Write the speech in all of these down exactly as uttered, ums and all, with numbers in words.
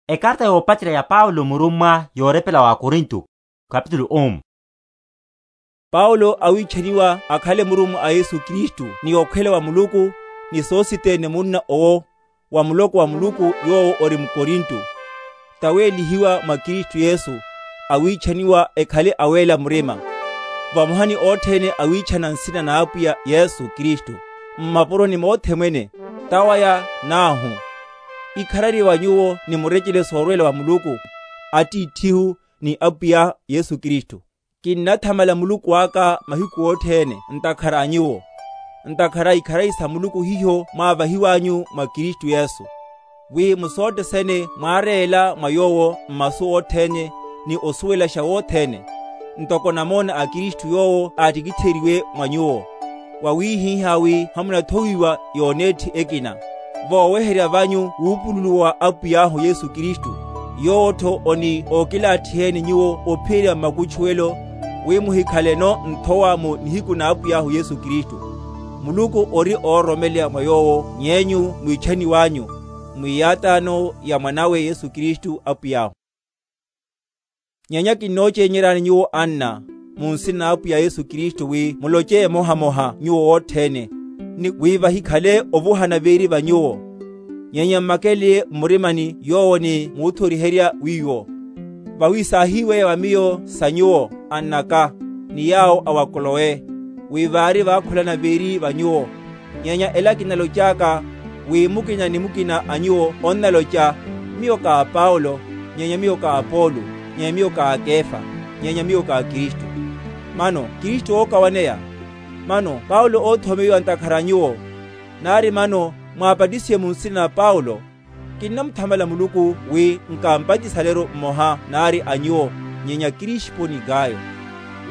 Ekarta yoopacerya ya paulo murummwa yoorepela wa akorinto. Kapitulu um. Paulo awiichaniwa akhale murummwa a yesu kristu ni okhwela wa muluku, ni sositene munna owo wa muloko wa muluku yoowo ori mukorinto, taweelihiwa mwa kristu yesu, awiichaniwa ekhale aweela murima, vamoha ni othene awiichana nsina n'apwiya yesu kristu, mmapuroni mothe mwene, tawaya n'ahu. Ikharari wa nyuwo ni murecele soorwela wa muluku, attiitthi-hu ni apwiya yesu kristu. Kinnathamala muluku aka mahiku othene ntakhara a nyuwo, ntakhara ikharari sa muluku hiho mwaavahiwanyu mwa kristu yesu, wi mu sothene sene mwaareela mwa yoowo mmasu othene, ni osuwelaxa wothene, ntoko namoona a kristu yoowo aattikittheriwe mwa nyuwo, wawihihaawi hamunathowiwa yoneetthi ekina, vooweherya vanyu wuupululuwa wa apwiy'ahu yesu kristu, yoowo-tho oni ookilaatthiheeni nyuwo ophiyerya mmakutchuwelo, wi muhikhaleno nthowa mu nihiku n'apwiy'ahu yesu kristu. Muluku ori oororomeleya mwa yoowo ny'enyu mwiichaniw'anyu, mwiiyataano ya mwan'awe yesu kristu apwiy'ahu. Nyenya kinnooceenyeryani nyuwo anna, mu nsina n'apwiya yesu kristu wi muloce emoha-moha nyuwo wothene, ni wi vahikhale ovuhana viiri va nyuwo, nyenya mmakeleye mmurimani yoowo ni muuthoriherya wiiwo. Vawi saahiiweya va miyo sa nyuwo, ann'aka, ni yaawo a wa klowe, wi vaari vaakhulana viiri va nyuwo. Nyenya ela kinalocaaka, wi mukina ni mukina a nyuwo onnaloca, miyo ka a paulo, nyenya miyo ka a apolo, nyenya miyo ka a kefa, nyenya miyo ka a kristu. Mano kristu ookawaneya? Mano paulo oothomeyiwa ntakhara a nyuwo? Naari mano mwaapatisiwe mu nsina na paulo? Kinnamuthamala muluku wi nkaampatisale-ru mmoha naari a nyuwo, nyenya krispo ni gayo,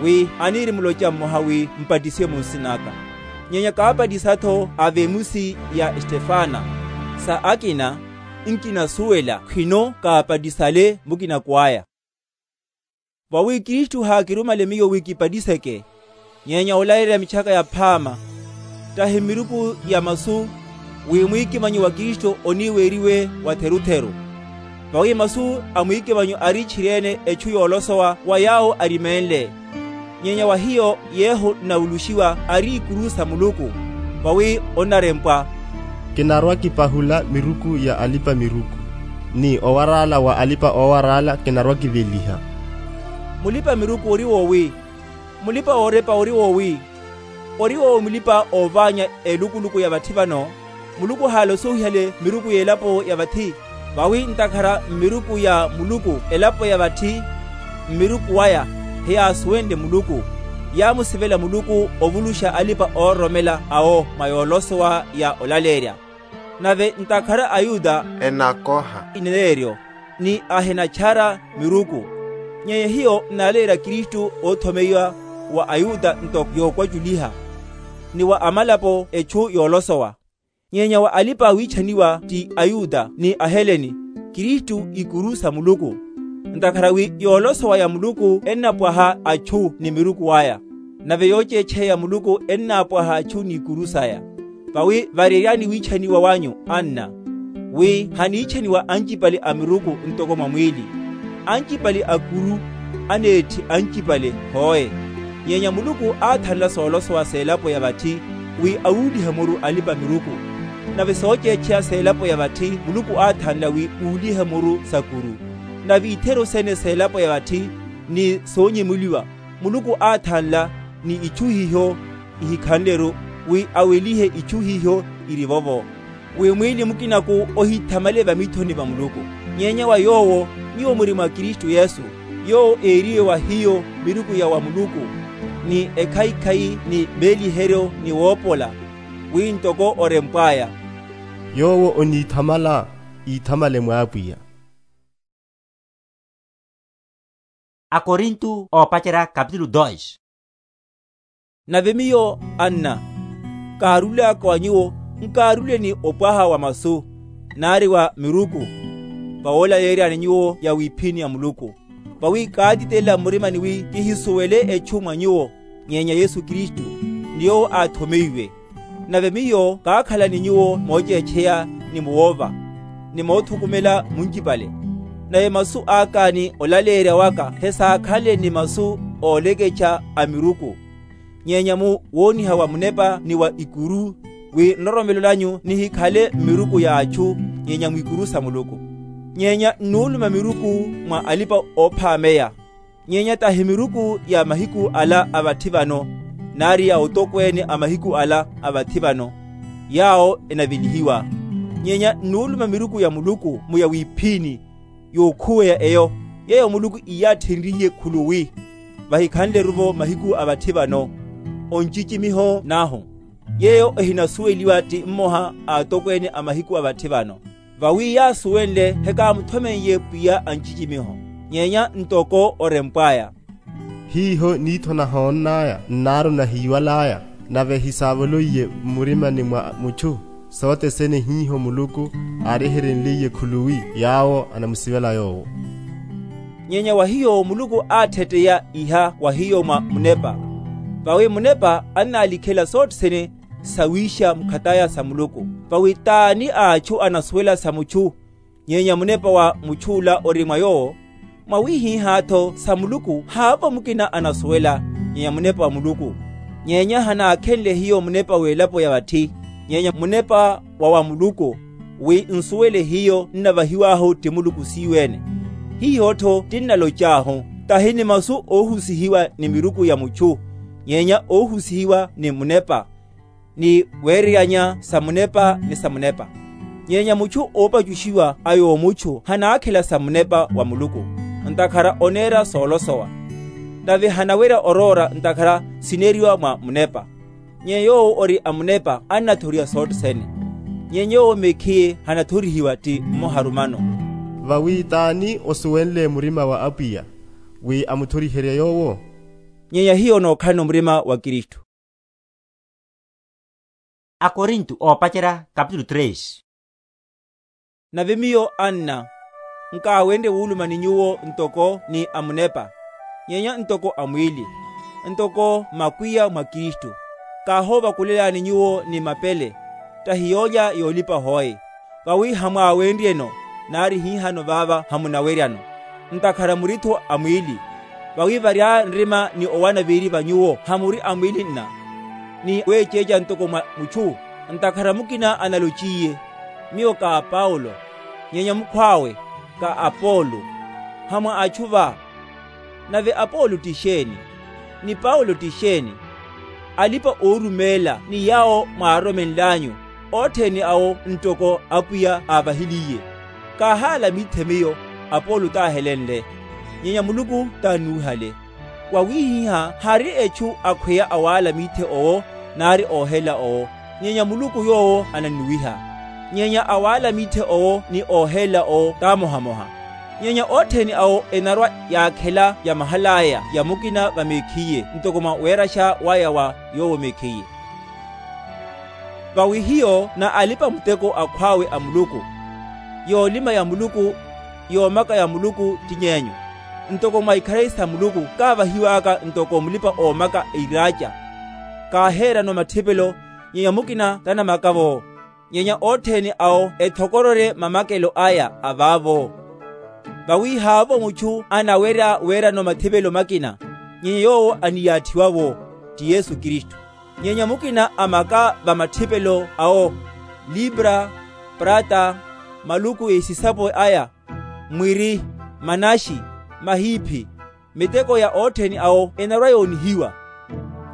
wi aniiri muloca mmoha wi mpatisiwe mu nsin'aka. Nyenya kaapatisa-tho a vemusi ya estefana, sa akina nkinasuwela khwino kaapatisale mukinaku aya. Vawi kristu haakirumale miyo wi kipatiseke, nyenya olaleerya mitchaka yaphaama, tahi mmiruku ya masu, wi mwiikimanyo wa kristu oniiweeriwe watheru-theru. Vawi masu a mwiikimanyo ari tchiri-ene etchu yoolosowa wa yaawo arimenle, nyenya wa hiyo yeeho nnawuluxiwa ari ikuru sa muluku. Vawi onnarempwa, kinarwa-kipahula miruku ya alipa-miruku, ni owar'ala wa alipa-oowar'ala kinarwa-kiveliha. Mulipa-miruku ori woowi? Mulipa-oorepa ori woowi? Ori woowi mulipa-oovaanya elukuluku ya vatthi vano? Muluku haalosohihale miruku y'elapo ya vatthi. Vawi ntakhara mmiruku ya muluku elapo ya vatthi, mmiruku waya heyaasuwenle muluku, yaamusivela muluku ovuluxa alipa-oororomela awo mwa yoolosowa ya olaleerya. Nave ntakhara ayuda enakoha ineneeryo, ni ahinatchara miruku, nyenya hiyo nnaleerya kristu oothomeyiwa wa ayuda ntoko yookwaculiha, ni wa amalapo etchu yoolosowa. Nyenya wa alipa-awiichaniwa ti ayuda ni aheleni, kristu ikuru sa muluku. Ntakhara wi yoolosowa ya muluku ennapwaha atchu ni miruku aya, nave yooceecheya ya muluku ennaapwaha atchu n'ikuru saya. Vawi vareeryani wiichaniwa wanyu anna, wi haniichaniwa ancipale a miruku ntoko mwa mwiili. Ancipale akuru aneetthi ancipale hoe. Nyenya muluku aathanla soolosowa s'elapo ya vatthi, wi awuulihe muru alipa-miruku. Nave sooceecheya s'elapo ya vatthi muluku aathanla wi uulihe muru s'akuru. Nave itheru sene s'elapo ya vatthi ni soonyemuliwa, muluku aathanla ni ichu hiho ihikhanle-ru, wi awelihe ichu hiho iri vovo, wi mwiili mukinaku ohithamale vamiithoni va muluku. Nyenya wa yoowo nyuwo muri mwa kristu yesu, yoowo eeriwe wa hiyo miruku ya wa muluku, ni ekhaikhai ni veeliheryo ni woopola, wi ntoko orempw'aya, yoowo oniithamala, iithamale mw'apwiya. Akorinto oopacerya kapitulu dos. Nave miyo anna, kaaruly'aka wa nyuwo, nkaarulye ni opwaha wa masu, nari wa miruku, vawoolayeeryani nyuwo ya wiphini ya muluku. Vawi kaatitelela mmurimani wi kihisuwele etchu mwa nyuwo, nyenya yesu kristu, ni yoowo aathomeiwe. Nave miyo kaakhala ni nyuwo mooceecheya, ni muwoova, ni moothukumela muncipale. Nave masu aka ni olaleerya waka hesaakhanle ni masu oolekexa a miruku, nyenya mu wooniha wa munepa ni wa ikuru, wi nroromelo nanyu nihikhale mmiruku ya atchu, nyenya mwikuru sa muluku. Nyenya nnuuluma miruku mwa alipa-oophaameya, nyenya tahi miruku ya mahiku ala a vatthi vano, nari ya otokweene a mahiku ala a vatthi vano, yaawo enavelihiwa. Nyenya nnuuluma miruku ya muluku mu ya wiphini, yookhuweya eyo, yeeyo muluku iyaathenryihiye khuluwi, vahikhanle-ruvo mahiku a vatthi vano, oncicimiho n'ahu, yeeyo ehinasuweliwa ti mmoha a atokweene a mahiku a vatthi vano. Vawi yaasuwenle hekaamuthomen'ye pwiya a ncicimiho, nyenya ntoko orempw'aya. Hiiho niitho nahoonn'aya nnaaru nahiiwal'aya, nave hisaavoloiye mmurimani mwa muchu, sothene hiiho muluku aarihirinliye khuluwi yaawo anamusivela yoowo. Nyenya wa hiyo muluku aattheteya iha wa hiyo mwa munepa, vawi munepa annaalikhela sothene sawiixa mukhataya sa muluku. Vawi t'ani a atchu anasuwela sa muchu, nyenya munepa wa much'ula ori mwa yoowo? Mwawihih'atho sa muluku haavo mukina anasuwela, nyenya munepa wa muluku. Nyenya hanaakhenle hiyo munepa w'elapo ya vatthi, nyenya munepa wa wa muluku, wi nsuwele hiyo nnavahiw'ahu ti muluku siiweene. Hiyo-tho tinnaloc'ahu, tahi ni masu oohusihiwa ni miruku ya muchu, nyenya oohusihiwa ni munepa, ni weereyanya sa munepa ni sa munepa. Nyenya muchu oopacuxiwa a yoomuchu hanaakhela sa munepa wa muluku, ntakhara oneera soolosowa, nave hanawerya oroora ntakhara sineeriwa mwa munepa. Nyenya yoowo ori a munepa annathoriha sothene, nyenya yoowo mekhiye hanathorihiwa ti mmoharumano. Vawi t'ani osuwenle murima wa apwiya wi amuthoriherye yoowo? Nyenya hiyo nookhalano murima wa kristu. Akorinto oopacerya kapitulu tres. Nave miyo anna, nkaawenrye wuulumani nyuwo ntoko ni a munepa, nyenya ntoko a mwiili, ntoko makwiya mwa kristu. Kaahoovakulelani nyuwo ni mapele, tahi yoolya yoolipa hoe, vawi hamwaawenryeno, nari hihano vaava hamunaweryano, ntakhara muri-tho a mwiili. Vawi varya nrima ni owana viiri va nyuwo hamuri a mwiili nna, ni weeceeca ntoko mwa muchu. Ntakhara mukina analociye, miyo ka a paulo, nyenya mukhw'awe ka a apolo, hamwa atchu va. Nave apolo ti xeeni? Ni paulo ti xeeni? Alipa-oorumeela ni yaawo mwaaroromenl'anyu, othene awo ntoko apwiya aavahiliye. Kaahaala miithe miyo, apolo t'ahelenle, nyenya muluku t'annuuhale. Wawihih'a hari echu akhweya awaala miithe owo, nari oohela owo, nyenya muluku yoowo anannuwiha. Nyenya awaala miithe owo ni oohela owo t'amohamoha. Nyenya othene awo enarwa yaakhela ya mahal'aya ya mukina vamekhiye ntoko mwa weeraxa waya wa yoowo mekhiye. Vawi hiyo n'alipa-muteko akhw'awe a muluku, yoolima ya muluku, yoomaka ya muluku ti ny'enyu. Ntoko mwa ikharari sa muluku kaavahiw'aka ntoko mulipa-oomaka a iraaca, kaaheerano mathipelo, nyenya mukina tanamaka-vo. Nyenya othene awo ethokororye mamakelo aya a vaavo. Vawi haavo muchu anawerya weerano mathipelo makina, nyenya yoowo aniyaathiwa-vo, ti yesu kristu. Nyenya mukina amaka va mathipelo awo, libra, prata, maluku a esisapo aya, mwiri, manaxi, mahiiphi. Miteko ya othene awo enarwa-yoonihiwa.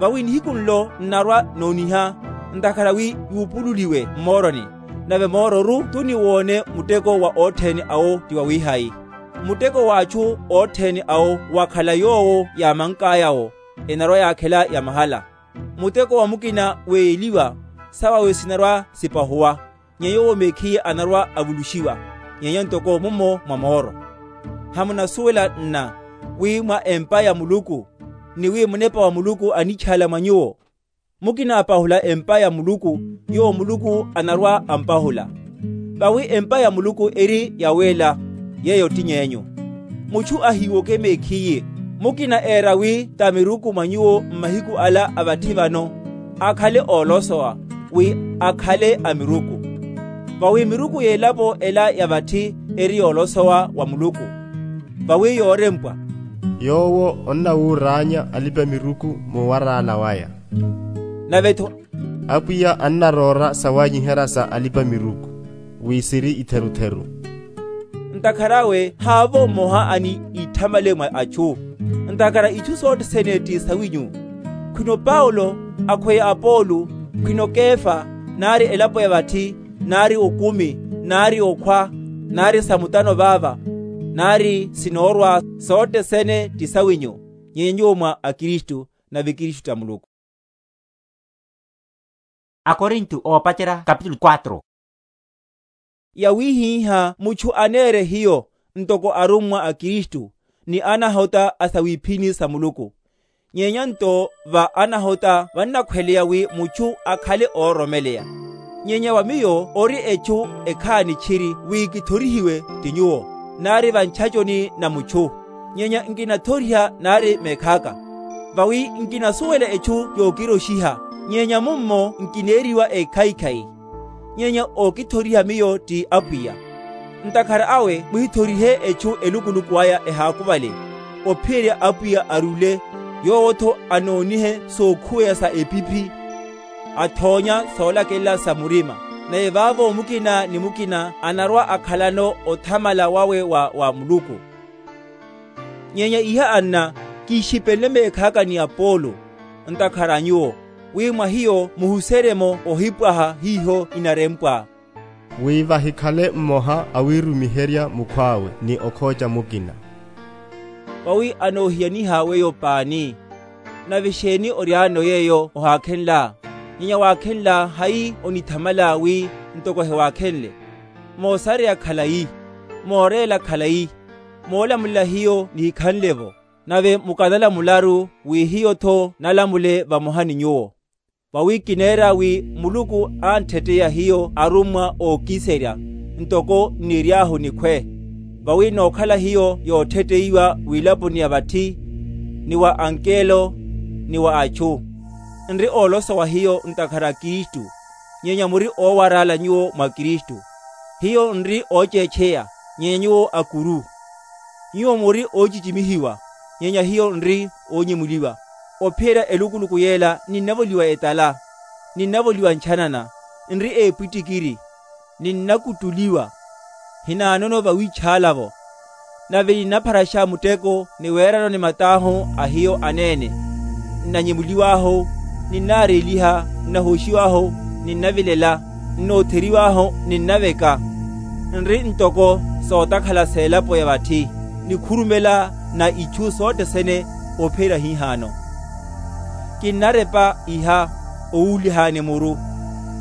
Vawi nihiku nlo nnarwa-nooniha, ntakhara wi yuupululiwe mmooroni. Nave moororu tuniwoone muteko wa othene awo ti wawihayi. Muteko w'achu othene awo wakhala yoowo yaamank'aya-wo, enarwa-yaakhela ya mahala. Muteko wa mukina weeyeliwa, sawawe sinarwa-sipahuwa, nyenya yoowo mekhiye anarwa-avuluxiwa, nyenya ntoko mummo mwa mooro. Hamunasuwela nna, wi mwa empa ya muluku, ni wi munepa wa muluku anichaala mwa nyuwo? Mukina apahula empa ya muluku, yoowo muluku anarwa-ampahula. Vawi empa ya muluku eri yaweela, yeeyo ti ny'enyu. Muchu ahiiwoke mekhiye, mukina eera wi ta miruku mwa nyuwo mmahiku ala a vathi vano, akhale oolosowa, wi akhale a miruku. Vawi miruku y'elapo ela ya vatthi eri yoolosowa wa muluku. Vawi yoorempwa, yoowo onnawuuraanya alipa-miruku muwaraala waya. Nave-tho, apwiya annaroora sawanyiherya sa alipa-miruku, wi siri itherutheru. Ntakhara awe haavo mmoha ani itthamale mwa achu, ntakhara ichu sothene ti sawinyu. Khwino paulo, akhweya apolo, khwino kefa, nari elapo ya vatthi, nari okumi, nari okhwa, nari samutano vaava, nari sinoorwa, sothene ti sawinyu. Nyenya nyuwo mwa akristu, nave kristu ta muluku. Akorinto oopacerya kapitulu quatro. Yawihiha muchu aneere hiyo, ntoko arummwa a kristu, ni anahota a sawiphini sa muluku. Nyenya nto va anahota vannakhweleya wi muchu akhale ooromeleya. Nyenya wa miyo ori echu ekhaani tchiri wi kithorihiwe ti nyuwo, nari va nchachoni na muchu. Nyenya nkinathoriha nari meekhaka, vawi nkinasuwela echu yookiroxiha. Nyenya mummo nkineeriwa ekhaikhai. Nyenya ookithoriha miyo ti apwiya. Ntakhara awe muhithorihe echu elukuluku aya ehaakuvale, ophiyerya apwiya arule, yoowo-tho anoonihe sookhuweya sa epiphi, athoonya soolakelela sa murima. Nave vaavo mukina ni mukina anarwa akhalano othamala wawe wa wa muluku. Nyenya iha anna, kixipenle meekhaka ni apolo, ntakhara a nyuwo, wi mwa hiyo muhuserye-mo ohipwaha hiho inarempwa, wi vahikhale mmoha awiirumiherya mukhw'awe ni okhooca mukina. Vawi anoohiyaniha weyo paani. Nave xeeni ory'ano yeeyo ohaakhenla? Nyenya waakhenla hayi onithamala wi ntoko hewaakhenle? Moosareya khalayi, mooreela khalayi, moolamulela hiyo nihikhanle-vo, nave mukanala mularu wi hiyo-tho nalamule vamoha ni nyuwo. Vawi kineera wi muluku antthetteya hiyo arummwa ookiserya, ntoko nniry'ahu nikhwe. Vawi nookhala hiyo yootthetteyiwa wilaponi ya vatthi, ni wa ankelo, ni wa achu, nri oolosowa hiyo ntakhara a kristu. Nyenya muri oowaraala nyuwo mwa kristu. Hiyo nri ooceecheya, nyenya nyuwo akuru. Nyuwo muri oocicimihiwa, nyenya hiyo nri oonyimuliwa. Ophiyerya elukuluku yeela ninnavoliwa etala, ninnavoliwa nchanana, nri eepwittikiri, ninnakuttuliwa, hinaanono vawiich'ala-vo. Nave ninnapharaxa mutteko ni weerano ni mat'ahu a hiyo aneene. Nnanyimuliw'ahu, ninnaareliha, nnahoxiw'ahu, ninnavilela, nnootheriw'ahu, ninnaveka. Nri ntoko sootakhala s'elapo ya vatthi, nikhurumela na ichu sothene ophiyerya hihaano. Kinnarepa iha owuulihani muru,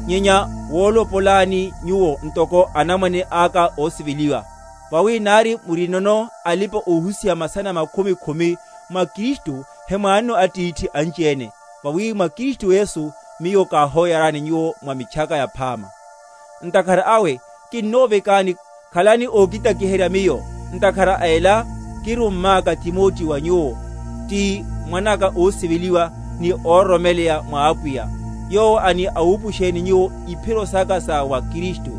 nyenya woolopolani nyuwo ntoko anamwane aka oosiveliwa. Vawi naari murinono alipa-oohusiha masana makhumi khumi mwa kristu, hemwaanno attiithi anci-ene. Vawi mwa kristu yesu miyo kaahooyarani nyuwo mwa mitchaka yaphaama. Ntakhara awe, kinnoovekani, khalani ookitakiherya miyo. Ntakhara a ela, kirumm'aka timotti wa nyuwo, ti mwan'aka oosiveliwa, ni oororomeleya mwa apwiya, yoowo ani awuupuxeni nyuwo iphiro saka sa wa kristu.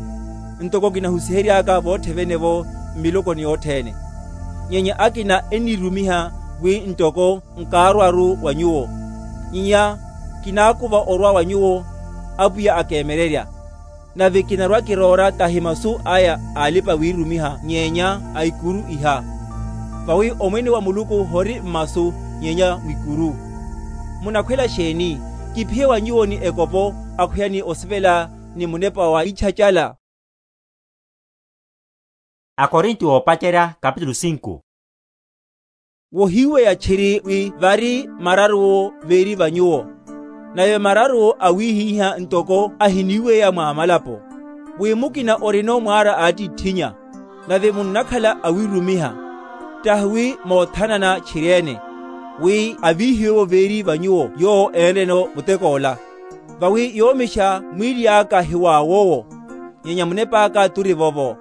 Ntoko kinahusihery'aka vootthevene-vo mmilokoni yothene. Nyenya akina ennirumiha wi ntoko nkaarwa-ru wa nyuwo, nyenya kinaakuva orwa wa nyuwo apwiya akeemererya. Nave kinarwa-kiroora tahi masu aya a alipa-wiirumiha nyenya a ikuru iha. Vawi omwene wa muluku hori mmasu, nyenya mwikuru. Munakhwela xeeni? Kiphiye wa nyuwo ni ekopo, akhweya ni osivela, ni munepa wa ichachala. Akorinto oopacerya kapitulu sinku. Wohiweya tchiri wi vari mararuwo veeri va nyuwo, nave mararuwo awihiha ntoko ahiniweya mwa malapo, wi mukina orino mwaara a attitthinya, nave munnakhala awirumiha, tahi wi moothanana tchiri-ene, wi avihiwe-vo veeri va nyuwo yoowo eenre-no mutek'ola. Vawi yoomixa mwiili aka hiwaawowo, nyenya munep'aka turivo-vo.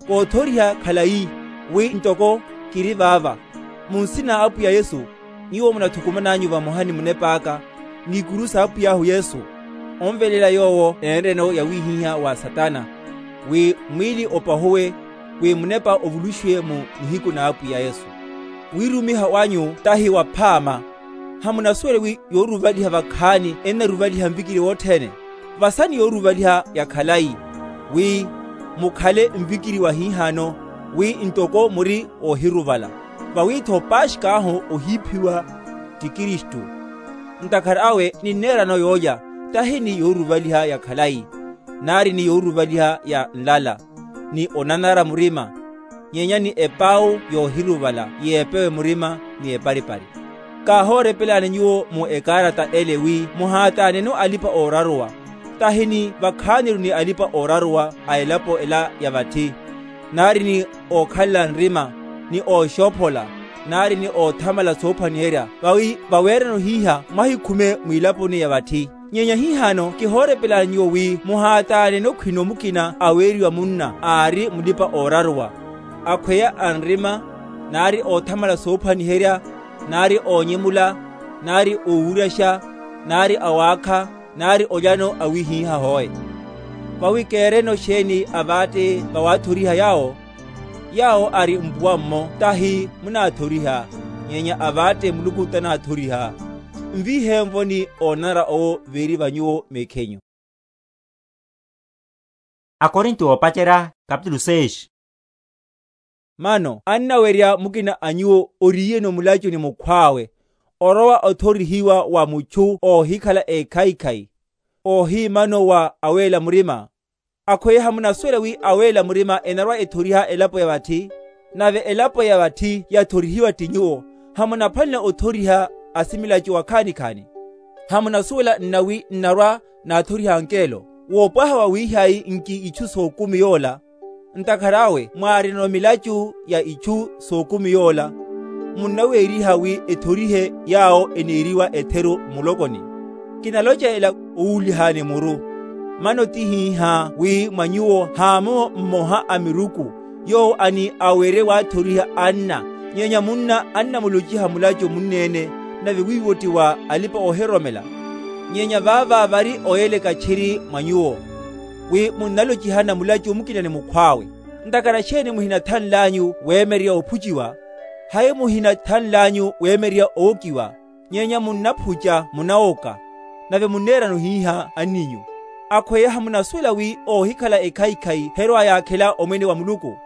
Koothoriha khalayi, wi ntoko kiri vaava, mu nsina a apwiya yesu, nyuwo munathukuman'anyu vamoha ni munep'aka, n'ikuru s'apwiy'ahu yesu, onvelela yoowo eenre-no yawihiha wa satana. wi mwiili opahuwe, wi munepa ovuluxiwe mu nihiku n'apwiya yesu. Wiirumiha wanyu tahi waphaama. Hamunasuwela wi yooruvaliha vakhaani ennaruvaliha nvikiri wothene? Vasa ni yooruvaliha ya khalayi, wi mukhale nvikiri wa hihaano, wi ntoko muri oohiruvala, vawi-tho paaxik'ahu ohiiphiwa ti kristu. Ntakhara awe ninneerano yoolya, tahi ni yooruvaliha ya khalayi, nari ni yooruvaliha ya nlala, ni onanara murima, nyenya ni epau yoohiruvala yeepewe murima ni eparipari. Kaahoorepelani nyuwo mu ekaarata ele wi muhaataaneno alipa-ooraruwa, tahi ni vakhaaniru ni alipa-ooraruwa a elapo ela ya vatthi, nari ni ookhalela nrima, ni ooxoophola, nari ni oothamala soophwaniherya, vawi vaweerano hiiha mwahikhume mwilaponi ya vatthi. Nyenya hihaano kihoorepelani nyuwo wi muhaataaneno khwino mukina aweeriwa munna aari mulipa-ooraruwa, akhweya a nrima, nari oothamala soophwaniherya, nari oonyemula, nari oowuryaxa, nari awaakha, nari olyano awihiiha hoe. Vawi keereno xeeni avaatte vawaathoriha yaawo? Yaawo ari mpuwa-mmo tahi munaathoriha, nyenya avaatte muluku tanaathoriha. Nviihe-nvo ni oonanara owo viiri va nyuwo meekhenyu. Akorinto oopacerya, kapitulu seis. Mano annawerya mukina a nyuwo oriyeno mulachu ni mukhw'awe, orowa othorihiwa wa muchu oohikhala ekhaikhai, oohiimano wa aweela murima. Akhweya hamunasuwela wi aweela murima enarwa-ethoriha elapo ya vatthi? Nave elapo ya vatthi yathorihiwa ti nyuwo. Hamunaphwanela othoriha asimilachu wakhaani-khaani? Hamunasuwela nna wi nnarwa naathoriha ankeelo? Woopwaha wa wiihai nki ichu sookumi yoola? Ntakhara awe mwaarina milachu ya ichu sookumi yoola, munnaweeriha wi ethorihe yaawo eneeriwa etheru mmulokoni. Kinalocha ela owuulihani muru. Mano ti hiiha wi mwa nyuwo haamomo mmoha a miruku yoowo ani awerye waathoriha anna, nyenya munna annamulociha mulachu munneene, nave wiiwo ti wa alipa-oohiroromela? Nyenya vaava vari oyeleka txiri mwa nyuwo, wi munnalocihana mulachu mukina ni mukhw'awe. Ntakhara xeeni muhinathanl'anyu weemerya ophuciwa? Hayi muhinathanl'anyu weemerya ookiwa? Nyenya munnaphuca munawoka, nave munneerano hiiha anninyu. Akhweya hamunasuwela wi oohikhala ekhaikhai herwa-yaakhela omwene wa muluku?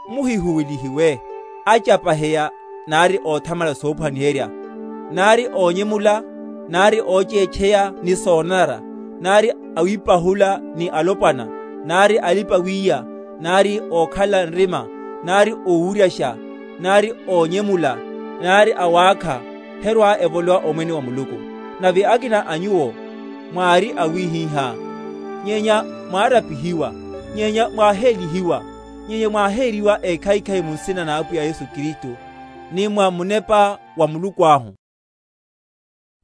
Muhihuwelihiwe acapaheya, nari oothamala soophwaniherya, nari oonyemula, nari ooceecheya ni soonanara, nari awiipahula ni alopwana, nari alipa-wiiya, nari ookhala nrima, nari owuryaxa, nari oonyemula, nari awaakha, herwa-evolowa omwene wa muluku. Nave akina a nyuwo mwaari awihiha, nyenya mwaarapihiwa, nyenya mwaaheelihiwa, nyenya mwaaheeriwa ekhaikhai mu nsina na apwiya yesu kristu, ni mwa munepa wa muluku ahu.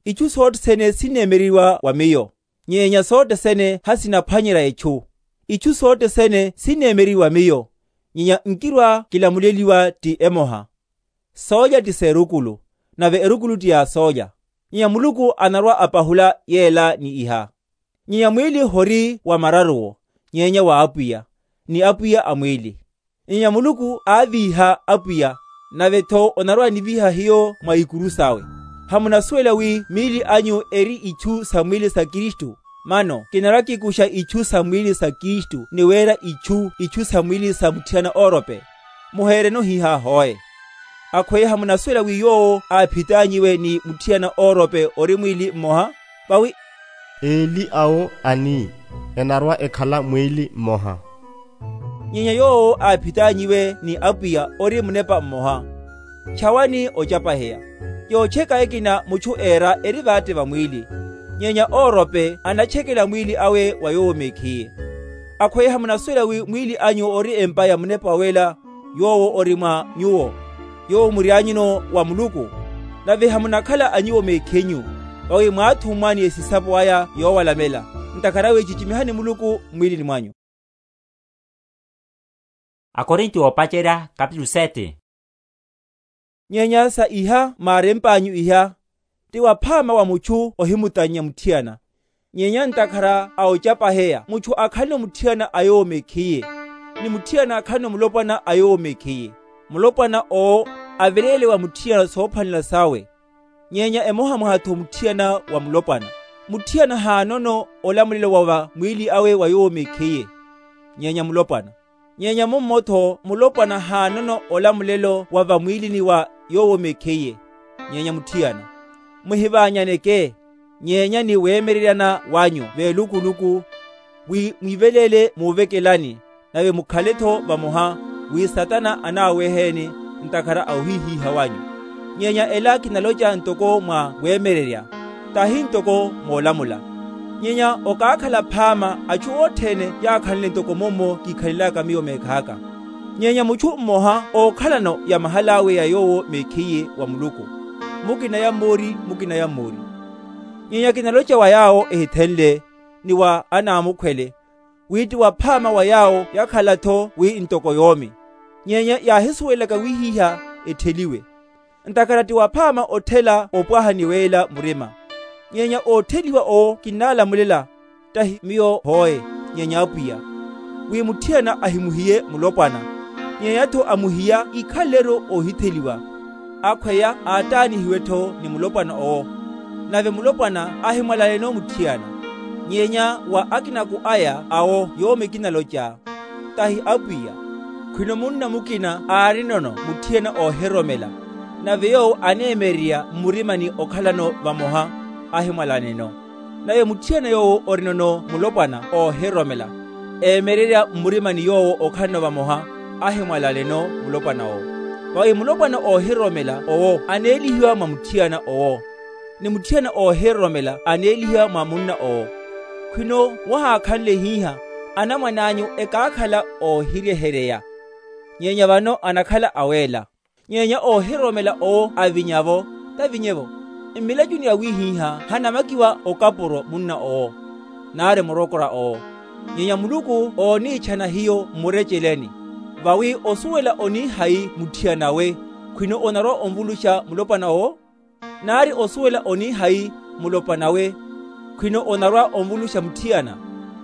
Ichu sothene sineemeriwa wa miyo, nyenya sothene hasinaphwanyerya echu. Ichu sothene sineemeriwa wa miyo, nyenya nkirwa kilamuleliwa ti emoha. Soolya ti seerukulu, nave erukulu ti ya soolya, nyenya muluku anarwa-apahula yeela ni iha. Nyenya mwiili hori wa mararuwo, nyenya wa apwiya, ni apwiya a mwiili. Nyenya muluku aaviiha apwiya, nave-tho onarwa-aniviiha hiyo mwa ikuru sawe. Hamunasuwela wi miili anyu eri ichu sa mwiili sa kristu? Mano kinarwa-kikuxa ichu sa mwiili sa kristu ni weera ichu ichu sa mwiili sa mutthiyana oorope? Muheereno hiiha hoe. Akhweya hamunasuwela wi yoowo aaphit'anyiwe ni mutthiyana oorope ori mwiili mmoha? Vawi eli awo ani enarwa-ekhala mwiili mmoha. Nyenya yoowo aaphit'anyiwe ni apwiya ori munepa mmoha. Tchawani ocapaheya. Yootcheka ekina muchu eera eri vaatte va mwiili, nyenya oorope anatchekela mwiili awe wa yoowo mekhiye. Akhweya hamunasuwela wi mwiili anyu ori empa ya munepa wela, yoowo ori mwa nyuwo, yoowo mury'anyuno wa muluku? Nave hamunakhala a nyuwo mekhinyu, vawi mwaathummwa ni esisapo aya yoowalamela. Ntakhara awe cicimihani muluku mmwiilini mwanyu. Akorinto oopacerya kapitulu sete. Nyenya sa iha maaremp'anyu iha, ti waphaama wa muchu ohimutannya mutthiyana, Nyenya ntakhara a ocapaheya mutthu akhaleno mutthiyana a yoowo mekhiye, ni mutthiyana akhaleno mulopwana a yoowo mekhiye. Mulopwana owo avereele wa mutthiyana soophwanela sawe. Nyenya emoha mwaha-tho mutthiyana wa mulopwana. Mutthiyana haanono olamulelo wa va mwiili awe wa yoowo mekhiye, nyenya mulopwana. Nyenya mummo-tho mulopwana haanono olamulelo wa va mwiilini wa yoowo mekhiye, nyenya mutthiyana. Muhivaanyaneke, nyenya ni weemereryana wanyu veelukuluku, wi mwiveleele muuvekelani, nave mukhale-tho vamoha, wi satana anaaweheeni ntakhara a ohihiiha wanyu. Nyenya ela kinaloca ntoko mwa weemererya, tahi ntoko moolamula. Nyenya okaakhala phaama achu othene yaakhanle ntoko mummo kiikhanly'aka miyo meekh'aka. Nyenya muchu mmoha ookhalano ya mahal'awe ya yoowo mekhiye wa muluku, mukina ya mmoori, mukina ya mmoori. Nyenya kinaloca wa yaawo ehithenle, ni wa anaamukhwele, wi ti waphaama wa yaawo yakhala-tho wi ntoko yoomi, nyenya yaahisuwelelaka wihiha ettheliwe. Ntakhara ti waphaama otthela opwaha ni weela murima. Nyenya oottheliwa owo kinnalamulela, tahi miyo hoe, nyenya apwiya, wi mutthiyana ahimuhiye mulopwana, nyenya-tho amuhiya ikhale-ru oohitheliwa. Akhweya aattaanihiwe-tho ni mulopwana owo, nave mulopwana ahimwalaleno mutthiyana. Nyenya wa akinaku aya awo yoomi kinaloca, tahi apwiya, khwino munna mukina aarinono mutthiyana oohiroromela, nave yoowo aneemererya mmurimani okhalano vamoha, ahimwalaneno. Nave mutthiyana yoowo orinono mulopwana oohiroromela, eemererya mmurimani yoowo okhalano vamoha, ahimwalaneno mulopwana owo. Vawi mulopwana oohiroromela owo aneelihiwa mwa mutthiyana owo, ni mutthiyana oohiroromela aneelihiwa mwa munna owo. Khwino wahaakhanle hihâ, anamwan'anyu ekaakhala oohiryeheryeya, nyenya vano anakhala aweela. Nyenya oohiroromela owo avinya-vo, tavinye-vo, mmilacuni awihiha hanamakiwa okapuro munna owo, nari murokora owo. Nyenya muluku ooniichana hiyo mmureceleni. Vawi osuwela onihayi mutthiyana-we, khwino onarwa-onvuluxa mulopwana owo? Nari osuwela onihayi mulopwana-we, khwino onarwa-onvuluxa mutthiyana?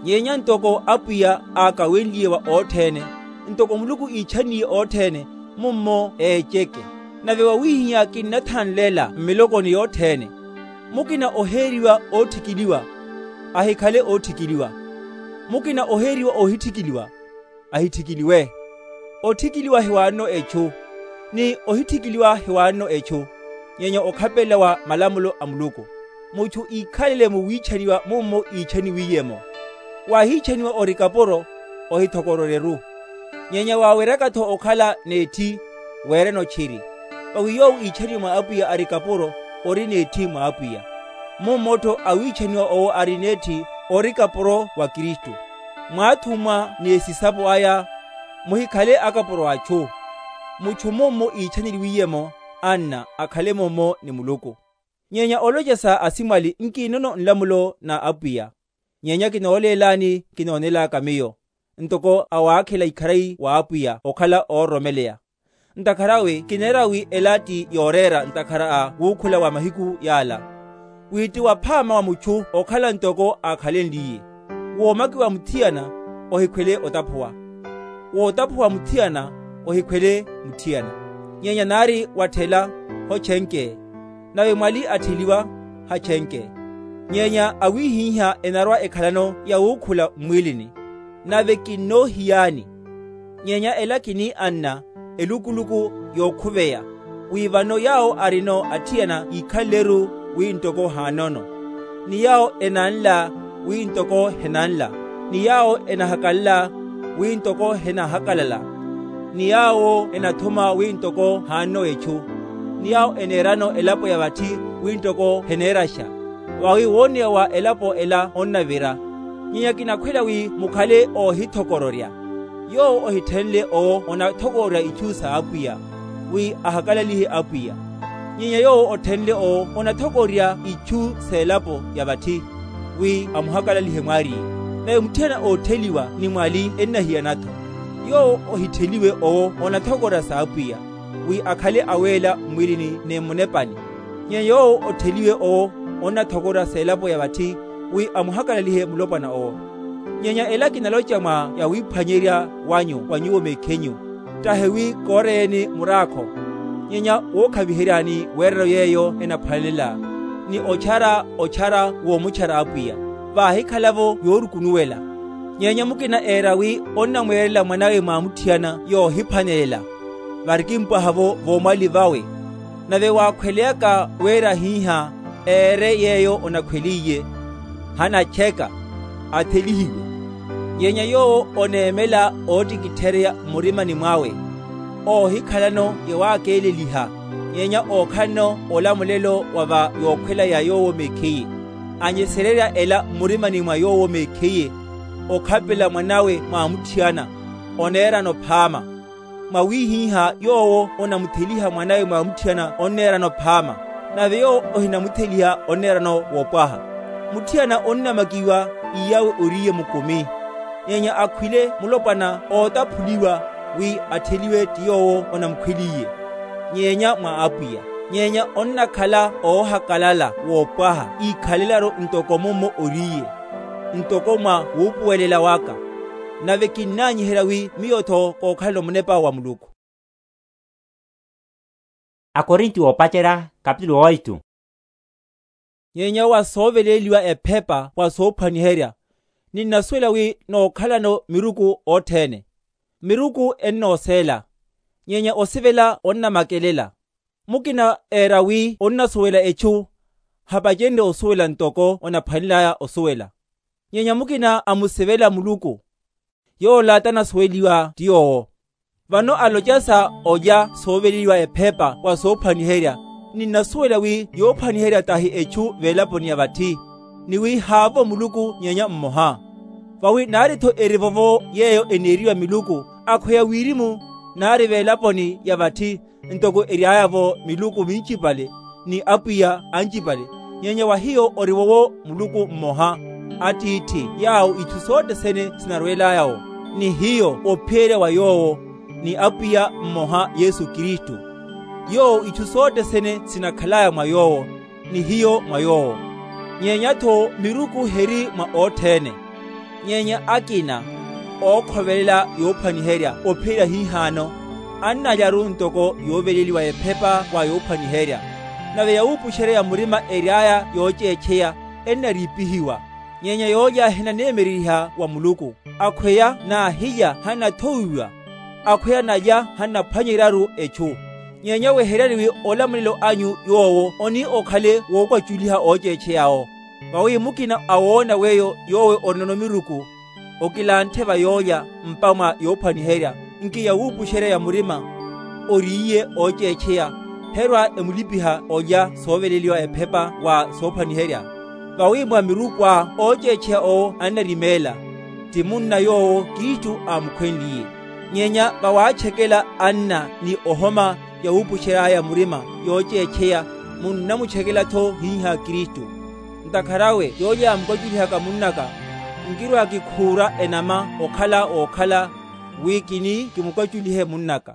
Nyenya ntoko apwiya aakawenliye wa othene, ntoko muluku iichaniye othene, mummo eeceke. Nave wawihiha kinnathanlela mmilokoni yothene. Mukina oheeriwa ootthikiliwa, ahikhale ootthikiliwa. Mukina oheeriwa oohitthikiliwa, ahitthikiliwe. Otthikiliwa hiwaanono echu, ni ohitthikiliwa hiwaanono echu, nyenya okhapelela wa malamulo a muluku. Muchu iikhalele mu wiichaniwa mummo iichaniwiye-mo. Waahiichaniwa ori kapuro, ohithokororye-ru. Nyenya waaweryaka-tho okhala n'etthi, weerene otchiri. Vawi yoowo iichaniwe mwa apwiya ari kapuro, ori n'etthi mwa apwiya. Mummo-tho awiichaniwa owo ari n'etthi, ori kapuro wa kristu. Mwaathumwa ni esisapo aya, muhikhale akapuro a achu. Muchu mummo iichaneliwiye-mo, anna akhale mummo ni muluku. Nyenya olocesa asimwali nkinono nlamulo na apwiya. Nyenya kinooleelani kinoonelaka miyo, ntoko awaakhela ikharayi wa apwiya okhala oororomeleya. Ntakhara awe kineera wi ela ti yooreera ntakhara a wuukhula wa mahiku yaala, wi ti waphaama wa muchu okhala ntoko aakhalenliye. Woomakiwa mutthiyana, ohikhwele otaphuwa. Wootaphuwa mutthiyana, ohikhwele mutthiyana. Nyenya nari watthela, hochenkeye. Nave mwali attheliwa, hachenkeye. Nyenya awiihiha enarwa ekhalano ya wuukhula mmwiilini. Nave kinnoohiyaani. Nyenya ela kini anna, elukuluku yookhuveya, wi vano yaawo arino atthiyana iikhanle-ru wi ntoko haanono, ni yaawo enanla wi ntoko henanla, ni yaawo enahakalala wi ntoko henahakalala, ni yaawo enathuma wi ntoko haanono echu, ni yaawo eneerano elapo ya vatthi wi ntoko heneeraxa. Vawi wooneya wa elapo ela onnavira. Nyenya kinakhwela wi mukhale oohithokororya. Yoowo ohithenle owo onathokororya ichu sa apwiya, wi ahakalalihe apwiya. Nyenya yoowo othenle owo onathokororya ichu s'elapo ya vatthi, wi amuhakalalihe mwaariye. Nave mutthiyana ootheliwa ni mwali ennahiyana-tho. Yoowo ohitheliwe owo onathokororya sa apwiya, wi akhale aweela mmwiilini ni mmunepani. Nyenya yoowo otheliwe owo onathokororya s'elapo ya vatthi, wi amuhakalalihe mulopwana owo. Nyenya ela kinaloca mwa yawiphwanyerya wanyu wa nyuwo mekhinyu, tahi wi kooreyeni muraakho, nyenya wookhaviheryani weerero yeeyo enaphwanelela, ni ochara ochara woomuchara apwiya, vaahikhala-vo yoorukunuwela. Nyenya mukina eera wi onnamweerela mwanawe mwamutthiyana yoohiphwanelela, varikimpwaha-vo voomwali vawe. Nave waakhweleyaka wira hiiha eere yeeyo onakhweliye, hanacheka, athelihiwe. Nyenya yoowo oneemela oottikithereya mmurimani mwawe, oohikhalano yawaakeeleliha, nyenya ookhalano olamulelo wa va yookhwela ya yoowo mekhiye, anyesererya ela mmurimani mwa yoowo mekhiye, okhapela mwanawe mwamutthiyana, oneerano phaama. Mwawihiha yoowo onamutheliha mwanawe mwamutthiyana onneerano phaama, nave yoowo ohinamutheliha onneerano wopwaha. Mutthiyana onnamakiwa, iyawe oriye mukumi, nyenya akhwile mulopwana ootaphuliwa, wi attheliwe ti yoowo onamukhweliye, nyenya mwa apwiya. Nyenya onnakhala oohakalala wopwaha, iikhalelaru ntoko mummo oriye, ntoko mwa wuupuwelela waka. Nave kinnanyiherya wi miyo-tho kookhalano munepa wa muluku. Akorinti oopacerya, kapitulu oitu. Nyenya wa sooveleliwa ephepa wa soophwaniherya, ninnasuwela wi nookhalano miruku othene. Miruku ennooseela, nyenya osivela onnamakelela. Mukina eera wi onnasuwela echu, hapacenrye osuwela ntoko onaphwanelaya osuwela. Nyenya mukina amusivela muluku, yoola tanasuweliwa ti yoowo. Vano aloca sa olya sooveleliwa ephepa wa soophwaniherya, ninnasuwela wi yoophwaniherya tahi echu veelaponi ya vatthi, ni wi haavo muluku nyenya mmoha. Vawi naari-tho eri vovo yeeyo eneeriwa miluku, akhweya wirimu naari veelaponi ya vatthi, ntoko eryaya-vo miluku mincipale, ni apwiya ancipale, nyenya wa hiyo ori wowo muluku mmoha, attiithi yaawo itthu sothene sinarweelaya-wo, ni hiyo ophiyerya wa yoowo, ni apwiya mmoha yesu kristu. Yoowo itthu sothene sinakhalaya mwa yoowo, ni hiyo mwa yoowo. Nyenya-tho miruku heri mwa othene. Nyenya akina ookhovelela yoophwaniherya ophiyerya hihaano, annalyaru ntoko yooveleliwa ephepa wa yoophwaniherya. Nave yawuupuxerya ya murima eryaya yooceecheya ennariipihiwa, nyenya yoolya hinaneemereriha wa muluku. Akhweya naahilya hannathowiwa, akhweya nalya hannaphwanyeryaru echu. Nyenya weheryani wi olamulelo anyu yoowo oni okhale wookwaculiha ooceechey'awo. Vawi mukina a woona weyo yoowe orinono miruku, okilanthe va yoolya mpa mwa yoophwaniherya, nki yawuupuxerya ya murima, oriiye ooceecheya, herwa emulipiha olya sooveleliwa ephepa wa soophwaniherya. Vawi mwa miruku aa ooceecheya owo annarimeela, ti munna yoowo kristu aamukhwenliye. Nyenya vawaachekela anna ni ohoma yawuupuxery'aya murima yooceecheya, munnamuchekela-tho hiiha kristu. Ntakhara awe yoolya yaamukwacurihaka munnaka, nkirwa-kikhuura enama okhala wookhala, wi kini kimukwaculihe munnaka.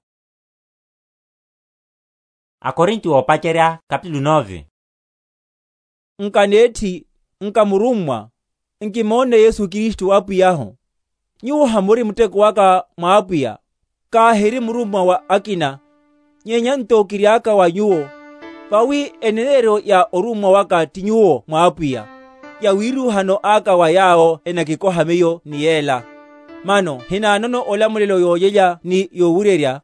Akorinti oopacerya kapitulu nove. Nkaneethi, nkamurummwa, nkimoonne yesu kristu apwiy'ahu. Nyuwo hamuri mutteko waka mwa apwiya, kaahiri murummwa wa akina. Nyenya nto kiry'aka wa nyuwo, vawi eneneeryo ya orummwa waka ti nyuwo mwa apwiya, yawiiruhano aka wa yaawo enakikoha miyo ni yeela. Mano hinaanono olamulelo yoolelya ni yoowuryerya,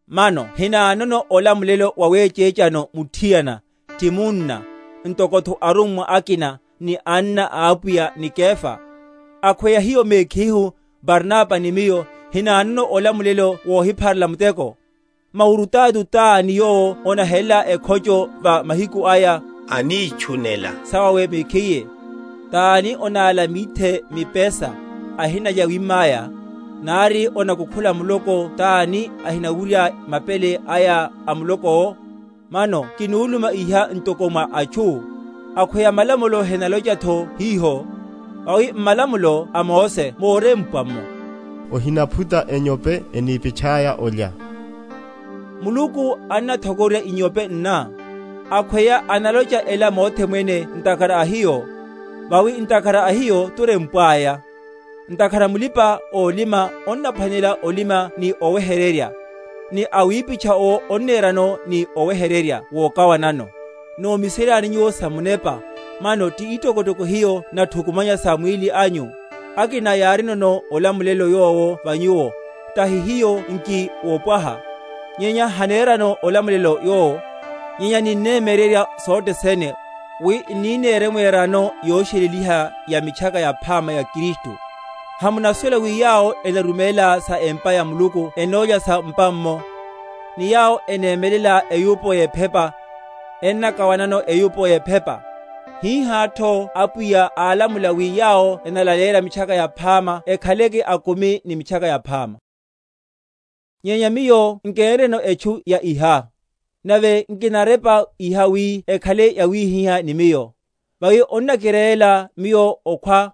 mano hinaanono olamulelo wa weeceecano mutthiyana, ti munna, ntoko-tho arummwa akina ni anna a apwiya ni kefa. Akhweya hiyo meekhihu, barnapa ni miyo, hinaanono olamulelo woohipharela muteko. Mawurutaatu t'ani yoowo onahelela ekhoco va mahiku aya, aniichunela sawawe mekhiye? T'ani onaala mithe mipesa, ahinalya wimm'aya? Nari onakukhula muloko t'ani ahinawurya mapele aya a muloko-wo? Mano kinuuluma iha ntoko mwa achu. Akhweya malamulo henaloca-tho hiho, vawi mmalamulo a mose moorempwa-mo, ohinaphuta enyope eniipitth'aya olya. Muluku annathokorya inyope nna, akhweya analoca ela mothe mwene ntakhara a hiyo. Vawi ntakhara a hiyo turempw'aya. Ntakhara mulipa-oolima onnaphwanela olima ni owehererya, ni awiipittha owo onneerano ni owehererya wookawanano. Noomiseryani nyuwo sa munepa, mano ti ittokottoko hiyo natthukumanya sa mwiili anyu. Akina yaarinono olamulelo yoowo va nyuwo, tahi hiyo nki woopwaha, nyenya haneerano olamulelo yoowo. Nyenya ninneemererya sotthisene, wi nniineere mweerano yooxeleliha ya mitthaka yaphaama ya kristu. Hamunasuwela wi yaawo enarumeela sa empa ya muluku enoolya sa mpammo, ni yaawo eneemelela eyuupo y'ephepa ennakawanano eyuupo y'ephepa. Hiihaattho apwiya aalamula wi yaawo enalaleerya mitthaka yaphaama ekhaleke akumi ni mitthaka yaphaama. Nyenya miyo nkeenreno etchu ya iha, nave nkinarepa iha wi ekhale yawiihihya ni miyo. Vawi onnakireela miyo okhwa,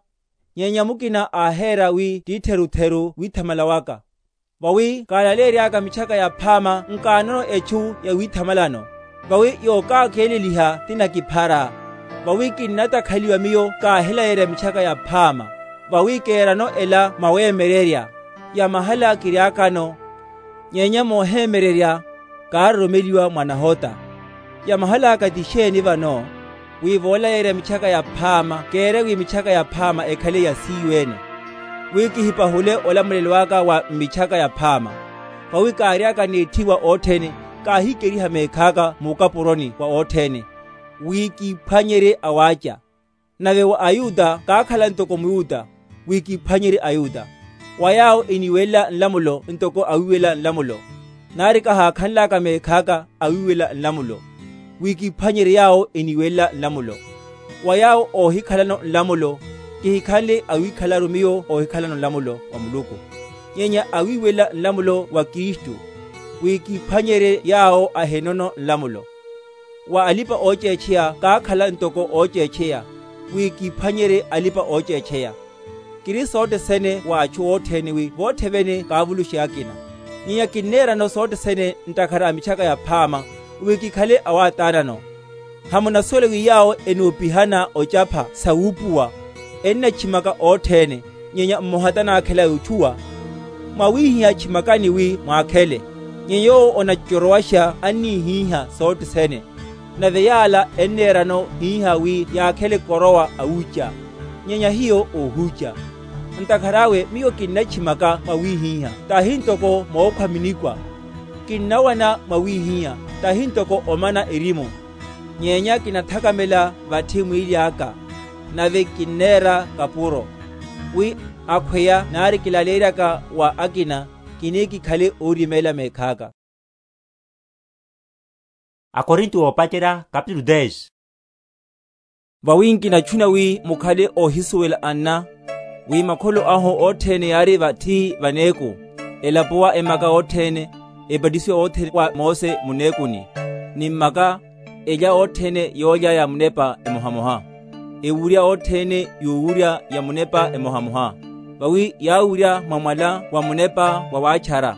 nyenya mukina aaheera wi ttiitherutheru withamala waka. Vawi kaalaleery'aka mitthaka yaphaama nkaanono etchu ya withamalano. Vawi yookaakeeleliha ti nakiphara. Vawi kinnatakhaliwa miyo kaahilayeerya mitthaka yaphaama, vawi keerano ela mwaweemererya. Ya mahala kiry'akano, nyenya mooheemererya kaaroromeliwa mwa nahota. Ya mahal'aka ti xeeni vano? Wi voolayeerya mitthaka yaphaama keerya wi mitthaka yaphaama ekhale ya siiyo-ene, wi kihipahule olamulelo aka wa mmitthaka yaphaama. Vawi kaary'aka n'etthiwa otthene, kaahikeriha meekh'aka muukapuroni wa otthene, wi kiiphwanyerye awaaca. Nave wa ayuta kaakhala ntoko muyuta, wi kiiphwanyerye ayuta. Wa yaawo eniiwelela nlamulo ntoko awiiwelela nlamulo, nari kahaakhanl'aka meekh'aka awiiwelela nlamulo, wi kiiphwanyerye yaawo eniiwelela nlamulo. Wa yaawo oohikhalano nlamulo, kihikhanle awiikhalaru miyo oohikhalano nlamulo wa muluku, nyenya awiiwelela nlamulo wa kristu, wi kiiphwanyerye yaawo ahenono nlamulo. Wa alipa-ooceecheya kaakhala ntoko ooceecheya, wi kiiphwanyerye alipa-ooceecheya. Kiri sotthisene wa atthu otthene wi votthe vene kaavuluxe akina. Nyenya kinneerano sotthisene ntakhara a mitthaka yaphaama, wi kikhale awaataanano. Hamunasuwela wi yaawo enuupihana ocapha sawuupuwa, ennatthimaka otthene, nyenya mmoha tanaakhela yootthuwa? Mwawiihiha tthimaka ni wi mwaakhele. Nyenya yoowo onattorowaxa anniihiha sotthisene, nave yaala enneerano hiiha wi yaakhele korowa awuuca, nyenya hiyo oohuuca. Ntakhar'awe miyo kinnatthimaka mwawiihiha, tahi ntoko mookhwa minikwa. Kinnawana mwawiihiha, tahi ntoko omana erimu. Nyenya kinathakamela vatthi mwiili aka, nave kinneera kapuro, wi akhweya nari kilaleeryaka wa akina, kini kikhale oorimeela meekh'aka. Akorinto oopacerya kapitulu dez. Vawi nkinatthuna wi mukhale oohisuwela anna, wi makholo ahu otthene yaari vatthi vaneeku, elapuwa emaka otthene, epatisiwa otthene wa mose muneekuni, ni mmaka, elya otthene yoolya ya munepa emohamoha, ewurya otthene yuwurya ya munepa emohamoha. Vawi yaawurya mwa mwala wa munepa wa waatchara,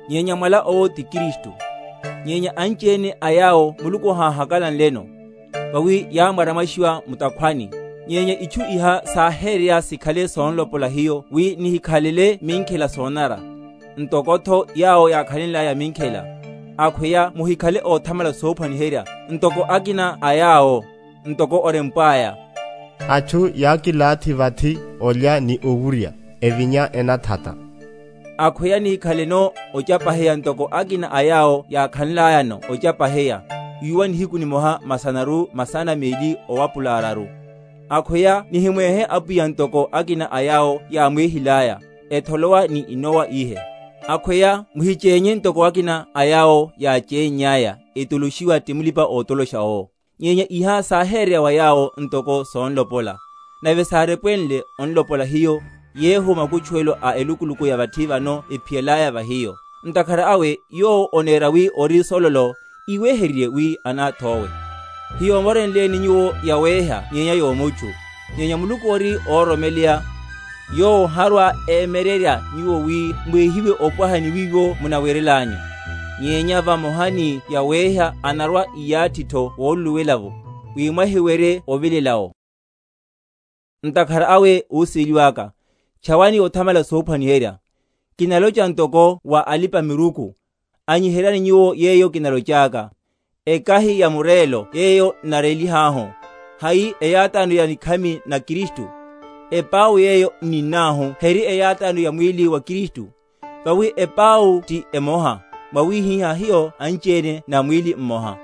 nyenya mwala owo ti kristu. Nyenya anci-ene a yaawo muluku ohaahakalanleno, vawi yaamwaramwaxiwa mutakhwani. Nyenya itthu iha saaheereya sikhale soonlopola hiyo wi nihikhalele minkhela soonara, ntoko-tho yaawo yaakhalenl'aya minkhela. Akhweya muhikhale oothamala soophwaniherya ntoko akina a yaawo, ntoko orempw'aya, atthu yaakilaathi vathi olya ni owurya, evinya enathata. Akhweya nihikhaleno ocapaheya ntoko akina a yaawo yaakhanlayano ocapaheya, wiiwa nihiku nimoha masanaru masana meeli owapula araru. Akhweya nihimweehe apwiya ntoko akina a yaawo yaamweehil'aya, etholowa ni inowa iihe. Akhweya muhiceenye ntoko akina a yaawo yaaceenny'aya, etoloxiwa ti mulipa-ootoloxa owo. Nyenya iha saaheereya wa yaawo ntoko soonlopola, nave saarepwenle onlopola hiyo, yeeho makutchuwelo a elukuluku ya vatthi vano ephiyel'aya va hiyo. Ntakhara awe yoowo oneera wi ori sololo, iwehererye wi anaath'owe. Hiyoomorenleeni nyuwo yaweeha nyenya yoomutthu, nyenya muluku ori oororomeleya, yoowo oharwa-eemererya nyuwo wi mweehiwe opwaha ni wiiwo munawerel'anyu. Nyenya vamoha ni yaweeha anarwa-iyaatthi-tho wooluluwela-vo, wi mwahiwerye ovilel'awo. Ntakhara awe, oosiiliw'aka, tchawani othamala soophwaniherya. Kinaloca ntoko wa alipa-miruku, anyiheryani nyuwo yeeyo kinalocaaka. Ekahi ya mureelo yeeyo nnareelih'ahu, hayi eyaataano ya nikhami na kristu? Epau yeeyo nninn'ahu heri eyaataano ya mwiili wa kristu? Vawi epau ti emoha, mwawihihya hiyo anci-ene na mwiili mmoha.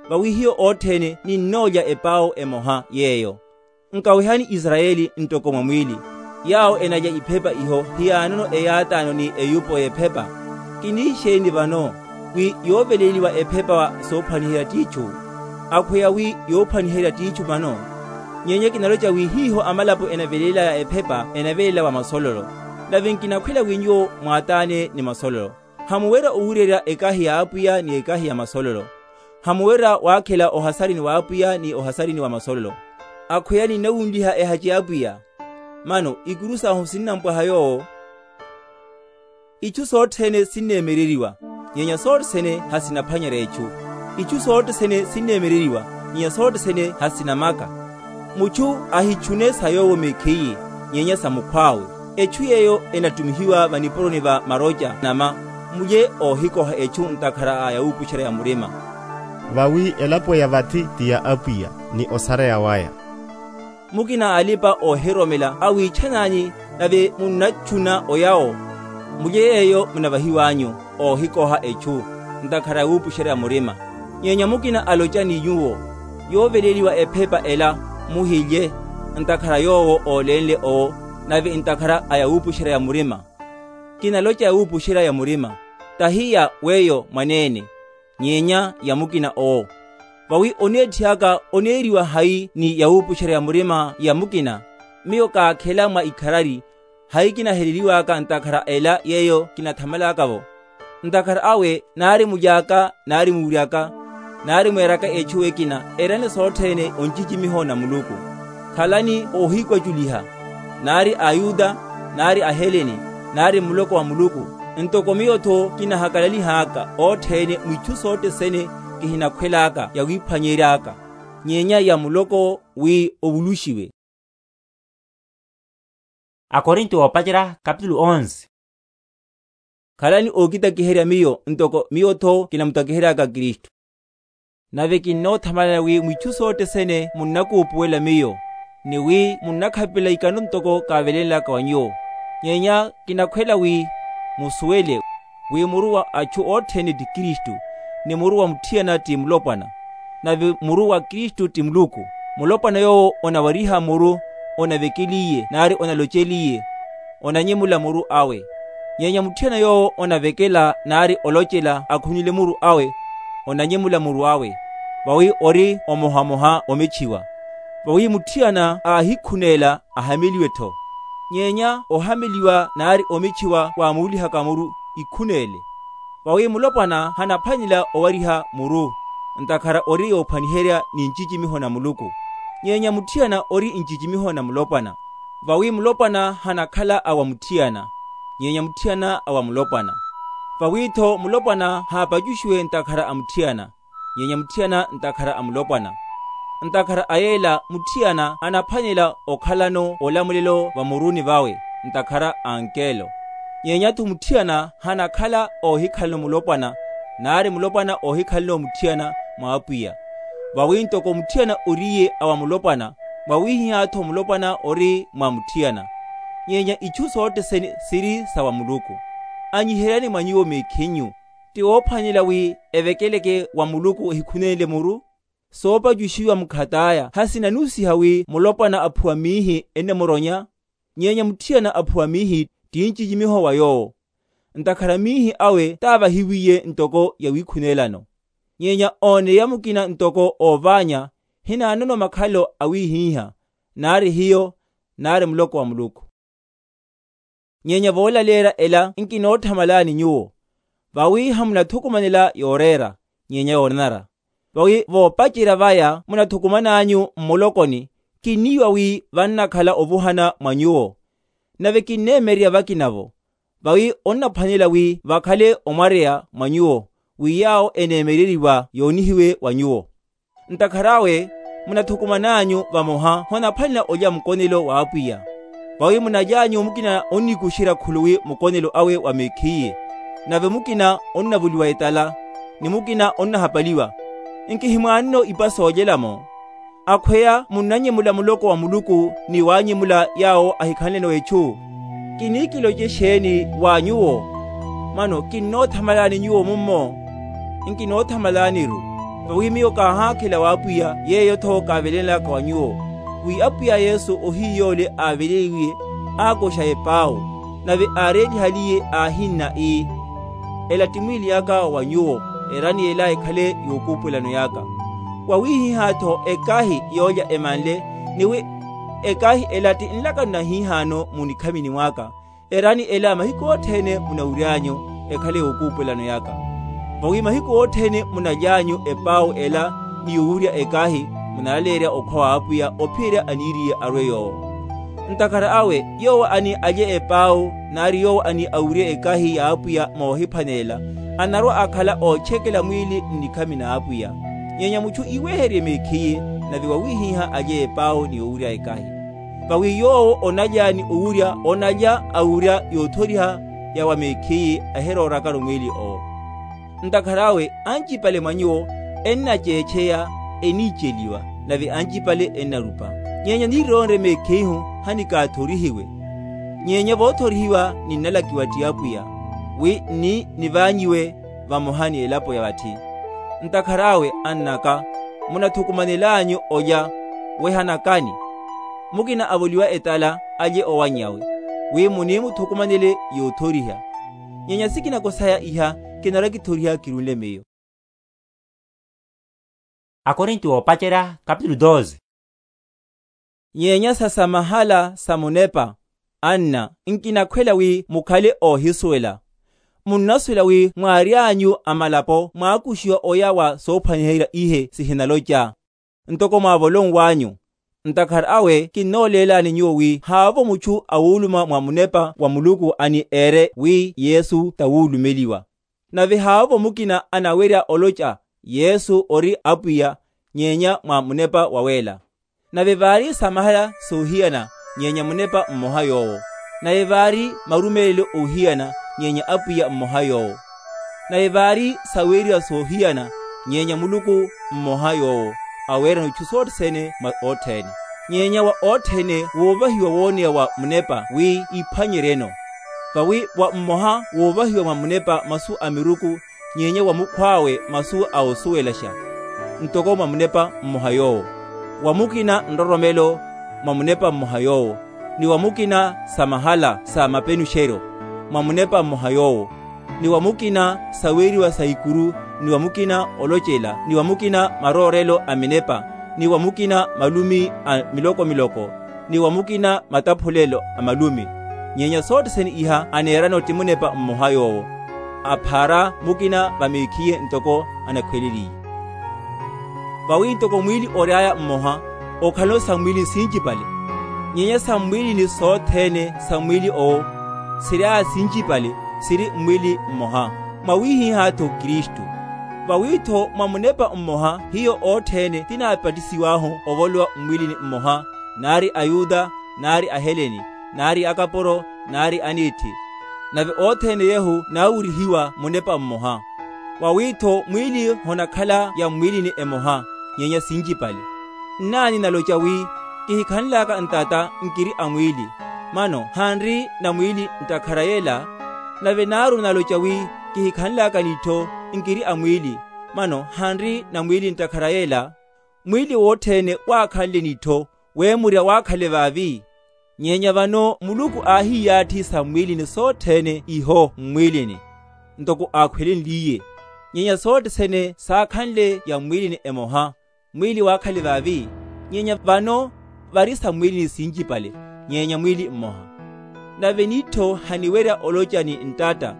Vawi hiyo othene ninnoolya epau emoha yeeyo. Nkawehani isarayeli ntoko mwa mwiili, yaawo enalya iphepa iho hiyaanono eyaataano ni eyuupo y'ephepa. Kiniixeeni vano, wi yooveleliwa ephepa wa soophwaniherya t'ichu, akhweya wi yoophwaniherya t'ichu vano. Nyenya kinaloca wi hiiho amalapo enavelelaya ephepa enavelela wa masololo. Nave nkinakhwela wi nyuwo mwaataane ni masololo. Hamuwerya owuurerya ekahi ya apwiya ni ekahi ya masololo. Hamuwerya waakhela ohasarini wa apwiya ni ohasarini wa masololo. Akhweya ninnawunliha ehaci ya apwiya. Mano ikuru sahu sinnampwaha yoowo. Ichu sothene sinneemereriwa, nyenya sothene hasinaphwanyerya echu. Ichu sothene sinneemereriwa, nyenya sothene hasinamaka. Muchu ahichune sa yoowo mekheiye, nyenya sa mukhw'awe. Echu yeeyo enattumihiwa vanipuroni va maroca nama, mulye oohikoha echu ntakhara a yawuupuxerya ya murima. Vawi elapo ya vathi ti ya apwiya, ni osareya waya. Mukina a alipa-oohiroromela awiitchan'anyu, nave munnatchuna oyawo, mulye yeeyo munavahiw'anyu, oohikoha echu ntakhara yawuupuxerya murima. Nyenya mukina aloca ni nyuwo, yooveleliwa ephepa ela, muhilye, ntakhara yoowo oolenle owo, nave ntakhara a yawuupuxerya murima. Kinaloca yawuupuxerya murima, tahi ya weyo mwaneene, nyenya ya mukina owo. Vawi oneetthiy'aka oneeriwa hayi ni yawuupuxerya murima ya mukina? Miyo kaakhela mwa ikharari, hayi kinaheleliw'aka ntakhara ela yeeyo kinathamal'aka-vo. Ntakhara awe naari muly'aka, naari muury'aka, naari mweeraka echu ekina, erani sothene oncicimiho na muluku. Khalani oohikwaculiha, naari ayuda, naari aheleni, naari muloko wa muluku. Ntoko miyo-tho kinahakalalih'aka othene mwichu sothene, kihinakhwel'aka yawiiphwanyery'aka, nyenya ya muloko wi ovuluxiwe. Akorinto oopacerya kapitulu onze. Khalani ookitakiherya miyo ntoko miyo-tho kinamutakihery'aka kristu. Nave kinnoothamalana wi mwichu sothene munnakuupuwela miyo, ni wi munnakhapela ikano ntoko kaavelenlaka wa nyuwo. Nyenya kinakhwela wi musuwele, wi muru wa achu othene ti kristu, ni muru wa mutthiyana ti mulopwana, nave muru wa kristu ti muluku. Mulopwana yoowo onawariha muru, onavekeliye naari onaloceliye, onanyemula muru awe. Nyenya mutthiyana yoowo onavekela naari olocela akhunile muru awe, onanyemula muru awe, vawi ori omohamoha omitchiwa. Vawi mutthiyana aahikhuneela ahameliwe-tho. Nyenya ohameliwa naari omitchiwa waamuulihaka muru ikhuneele. Vawi mulopwana hanaphwanela owariha muru, ntakhara ori yoophwaniherya ni ncicimiho na muluku. Nyenya mutthiyana ori ncicimiho na mulopwana. Vawi mulopwana hanakhala a wa mutthiyana, nyenya mutthiyana a wa mulopwana. Vawi-tho mulopwana haapacuxiwe ntakhara a mutthiyana, nyenya mutthiyana ntakhara a mulopwana. Ntakhara a yeela mutthiyana anaphwanela okhalano olamulelo vamuruni vawe, ntakhara a ankelo. Nyenya-tho mutthiyana hanakhala oohikhalano mulopwana, naari mulopwana oohikhalano mutthiyana mwa apwiya. Vawi ntoko mutthiyana oriye a wa mulopwana, mwawihihya-tho mulopwana ori mwa mutthiyana. Nyenya ichu sothene siri sa wa muluku. Anyiheryani mwa nyuwo mekhinyu, ti woophwanela wi evekeleke wa muluku ehikhuneele muru? Soopacuxiwa mukhat'aya hasinanusiha wi mulopwana aphuwa miihi ennamuronya, nyenya mutthiyana aphuwa miihi ti ncicimiho wa yoowo. Ntakhara miihi awe taavahiwiye ntoko yawikhuneelano. Nyenya ooneya mukina ntoko oovaanya, hinaanono makhalo awihihya, naari hiyo, naari muloko wa muluku. Nyenya voolaleerya ela nkinoothamalani nyuwo, vawi hamunathukumanela yooreera, nyenya yoonanara. Vawi voopacerya vaya munathukuman'anyu mmulokoni, kinniiwa wi vannakhala ovuhana mwa nyuwo. Nave kinneemererya vakina-vo, vawi onnaphwanela wi vakhale omwareya mwa nyuwo, wi yaawo eneemereriwa yoonihiwe wa nyuwo. Ntakhara awe, Munathukuman'anyu vamoha honaphwanela olya mukonelo w'apwiya. Vawi munaly'anyu mukina onnikuxerya khuluwi mukonelo awe wa mekhiye, nave mukina onnavuliwa etala, ni mukina onnahapaliwa. Nkihimwaanino ipa soolyela-mo? Akhweya munnanyemula muloko wa muluku ni waanyemula yaawo ahikhanle-no etchu? Kinikiloce xeeni wa nyuwo? Mano kinnoothamalani nyuwo mummo? Nkinoothamalaniru. Vawi miyo kaahaakhela w'apwiya yeeyo-tho kaavelenlaka wa nyuwo, wi apwiya yesu ohiyoole aaveleiwiye, aakoxa epau, nave aareelihaliye aahinna ii, ela ti mwiili aka wa nyuwo, erani ela ekhale yokuupwelano yaka. Wawihiha-tho ekahi yoolya emanle, ni wi ekahi ela ti nlakano na hihaano munikhamini mwaka. Erani ela mahiku othene munawury'anyu ekhale yokuupwelano yaka. Vawi mahiku othene munaly'anyu epau ela ni yowurya ekahi, munalaleerya okhwa w'apwiya ophiyerya aniiriye arwe yoowo. Ntakhara awe, yoowo ani alye epau nari yoowo ani awurye ekahi y'apwiya moohiphwanelela, anarwa akhala ootchekela mwiili nnikhami n'apwiya. Nyenya muchu iweherye mekhiye, nave wawihiha alye epau ni owurya ekahi. Vawi yoowo onalya ni owurya onalya awurya yoothoriha ya wa mekhiye, ahiroorakano mwiili owo. Ntakhara awe, ancipale mwa nyuwo ennaceecheya, eniiceliwa, nave ancipale ennarupa. Nyenya niironre mekhihu, hanikaathorihiwe. Nyenya voothorihiwa ninnalakiwa ti apwiya, wi nni nivaanyiwe vamoha ni elapo ya vathi. Ntakhara awe, annaka, munathukumanel'anyu olya, wehanakani. Mukina avoliwa etala alye owanny'awe, wi munimuthukumanele yoothoriha. Nyenya sikinako saya iha, kinarwa-kithoriha kirunle miyo. Akorinto oopacerya kapitulu doze. Nyenya sa samahala sa munepa, anna, nkinakhwela wi mukhale oohisuwela. Munnasuwela wi mwaary'anyu amalapo mwaakuxiwa oya wa soophwaniherya ihe sihinaloca, ntoko mwaavolonw'anyu. Ntakhara awe kinnooleelani nyuwo wi haavo muchu awuuluma mwa munepa wa muluku ani eere wi yesu tawuulumeliwa. Nave haavo mukina anawerya oloca yesu ori apwiya, nyenya mwa munepa waweela. Nave vaari samahala soohiyana, nyenya munepa mmoha yoowo. Nave vaari marumeelelo oohiyana, nyenya apwiya mmoha yoowo. Nave vaari saweeriwa soohiyana, nyenya muluku mmoha yoowo, aweerano itthu sothene mwa othene. Nyenya wa othene woovahiwa wooneya wa munepa wi iphwanyerye-no. Vawi wa mmoha woovahiwa mwa munepa masu a miruku, nyenya wa mukhw'awe masu a osuwelaxa, ntoko mwa munepa mmoha yoowo. Wa mukina nroromelo, mwa munepa mmoha yoowo. Ni wa mukina samahala sa mapenuxeryo, mwa munepa mmoha yoowo. Ni wa mukina saweeriwa sa ikuru, ni wa mukina olocela, ni wa mukina maroorelo a minepa, ni wa mukina malumi a miloko-miloko, ni wa mukina mataphulelo a malumi. Nyenya sothene iha aneerano ti munepa mmoha yoowo, aphaara mukina va mekhiye ntoko anakhweleliye. Vawi ntoko mwiili ory'aya mmoha, okhalano sammwiilini sincipale. Nyenya sammwiilini sothene sammwiili owo, siry'aya sincipale, siri mmwiili mmoha, mwawihiha-tho kristu. Vawi-tho mwa munepa mmoha hiyo othene tinaapatisiw'ahu ovolowa mmwiilini mmoha, nari ayuda, nari aheleni, nari akapuro, nari aniithi, nave othene yehu naawurihiwa munepa mmoha. Vawi-tho mwiili honakhala ya mmwiilini emoha, nyenya sincipale. Nnaani naloca wi, kihikhanlaka ntata nkiri a mwiili, mano hanri na mwiili ntakhara yela? Nave naaru naloca wi, kihikhanlaka n'ittho nkiri a mwiili, mano hanri na mwiili ntakhara yela? Mwiili wothene waakhanle n'ittho, weemurya waakhale vaavi. Nyenya vano muluku aahiiyaathi sammwiilini sothene iho mmwiilini, ntoko aakhwelenliye. Nyenya sothene saakhanle ya mmwiilini emoha, mwiili waakhale vaavi. Nyenya vano vari sammwiilini sincipale, nyenya mwiili mmoha. Nave n'ittho haniwerya oloca ni ntatta,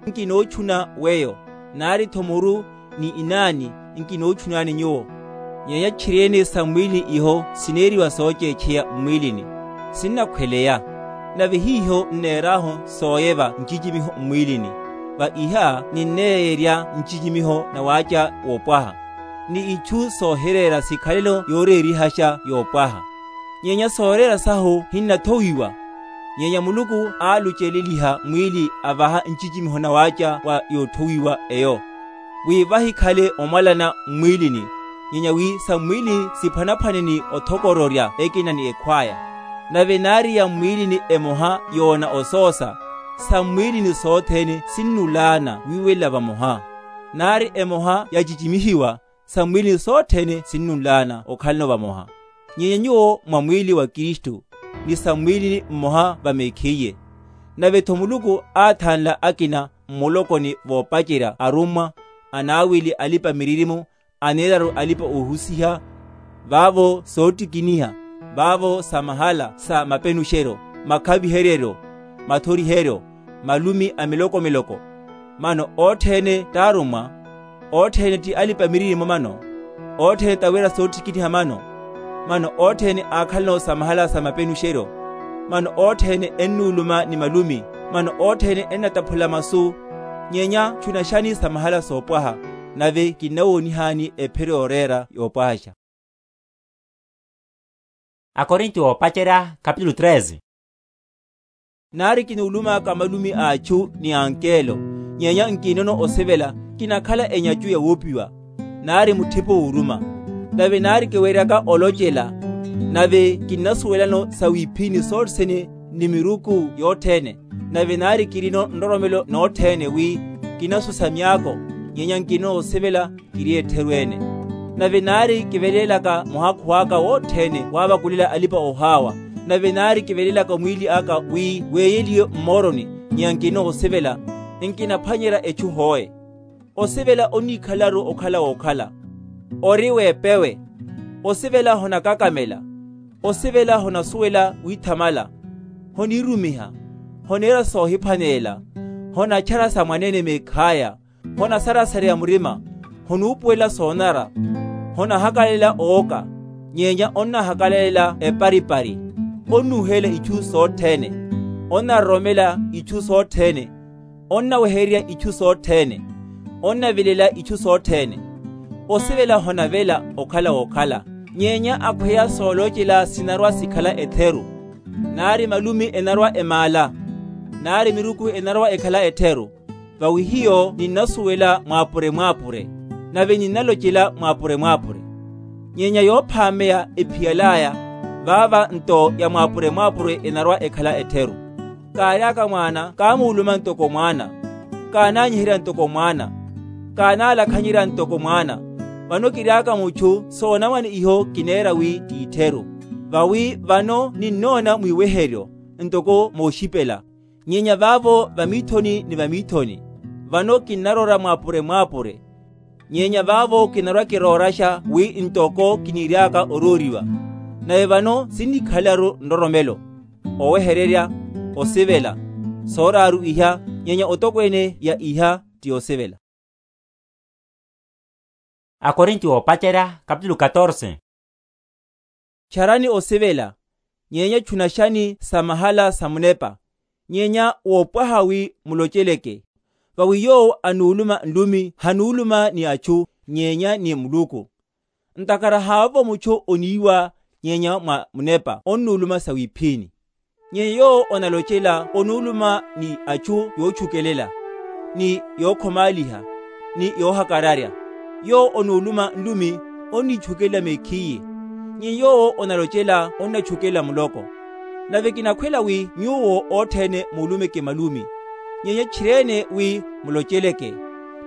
nkinoochuna weyo, nari-tho muru ni inaani, nkinoochunani nyuwo. Nyenya tchiri-ene sammwiilini iho sineeriwa sooceecheya mmwiilini, sinnakhweleya. Nave hiiho nneer'ahu sooyeva ncicimiho mmwiilini, va iha ninneeyerya ncicimiho na waaca woopwaha. ni ichu soohireera sikhalelo yooreerihaxa yoopwaha. Nyenya sooreera sahu hinnathowiwa. Nyenya muluku aaluceleliha mwiili avaha ncicimiho nawaaca wa yoothowiwa eyo, wi vahikhale omwalana mmwiilini, nyenya wi sa mmwiili siphwanaphwane ni othokororya ekina ni ekhwaya. Nave naari ya mmwiilini emoha yoona osoosa, sa mmwiilini sothene sinnulaana wiiwelela vamoha. Naari emoha yacicimihiwa, sa mmwiilini sothene sinnulaana okhalano vamoha. Nyenya nyuwo mwa mwiili wa kristu, ni sa mmwiilini mmoha va mekhiye. Nave-tho muluku aathanla akina mmulokoni voopacerya arummwa, anaawili alipa-miririmo, aneeraru alipa-ohusiha, vaavo soottikiniha, vaavo sa mahala sa mapenuxeryo, makhaviheryeryo, mathoriheryo, malumi a miloko-miloko. Mano othene t'arummwa, othene ti alipa-miririmo mano, othene tawira soottikiniha mano, mano othene aakhalano sa mahala sa mapenuxeryo, mano othene ennuuluma ni malumi, mano othene ennataphula masu. Nyenya chunaxani sa mahala soopwaha, nave kinnawoonihani ephiro yooreera yoopwahaxa. Akorinto oopacerya kapitulu treze. Naari kinuulumaka malumi a achu ni a ankelo, nyenya nkinono osivela, kinakhala enyacu ya wuupiwa, naari muthipo wuuruma. Nave naari kiweeryaka olocela, nave kinnasuwelano sa wiiphini sothene ni miruku yothene, nave naari kirino nroromelo nothene wi kinasusa myaako, nyenya nkinono osivela, kiri etheru ene. Nave naari kiveleelaka muhakhu aka wothene waavakulela alipa-ohaawa, nave naari kiveleelaka mwiili aka wi weeyeliwe mmooroni, nyenya nkinono osivela, nkinaphwanyerya echu hoe. Osivela onnikhalaru okhala wookhala, ori weepewe. Osivela honakakamela, osivela honasuwela wiithamala, honiirumiha, honeera soohiphwaneela, honatchara sa mwaneene meekhaya, honasarasareya murima, honuupuwela soonara, honahakalelela ooka, nyenya onnahakalelela eparipari, onnuuhelela ichu sothene, onnaroromela ichu sothene, onnawehererya ichu sothene, onnavilela ichu sothene. Osivela honavela okhala wookhala, nyenya akhweya soolocela sinarwa sikhala etheru, naari malumi enarwa emaala, naari miruku enarwa ekhala etheru. Vawi hiyo ninnasuwela mwaapure-mwaapure, nave ninnalocela mwaapure-mwaapure. Nyenya yoophameya ephiyal'aya, vaava nto ya mwaapure-mwaapure enarwa ekhala etheru. Kaary'aka mwaana kaamuuluma ntoko mwaana, kaanaanyiherya ntoko mwaana, kaanaalakhanyerya ntoko mwaana. Vano kiry'aka muchu soonamwane iho kineera wi t'itheru. Vawi vano ninnoona mwiiweheryo ntoko mooxipela. Nyenya vaavo vamiithoni ni vamiithoni, vano kinnarora mwaapure-mwaapure. Nyenya vaavo kinarwa-kirooraxa wi ntoko kiniiry'aka orooriwa. Nave vano sinnikhalaru nroromelo, owehererya, osivela. Sooraaru iha, nyenya otokweene ya iha ti osivela. Akorinto oopacerya kapitulu katorse. Charani osivela, nyenya chunaxani sa mahala sa munepa, nyenya woopwaha wi muloceleke. Vawi yoowo anuuluma nlumi hanuuluma ni achu, nyenya ni muluku. Ntakara haavovo muchu oniiwa, nyenya mwa munepa onnuuluma sawiiphini. Nyenya yoowo onalocela onuuluma ni achu yoochukelela, ni yookhomaaliha, ni yoohakararya. Yoowo onuuluma nlumi onnichukelela mekhiye. Nyenya yoowo onalocela onnachukelela muloko. Nave kinakhwela wi nyuwo othene muulumeke malumi, nyenya tchirene wi muloceleke.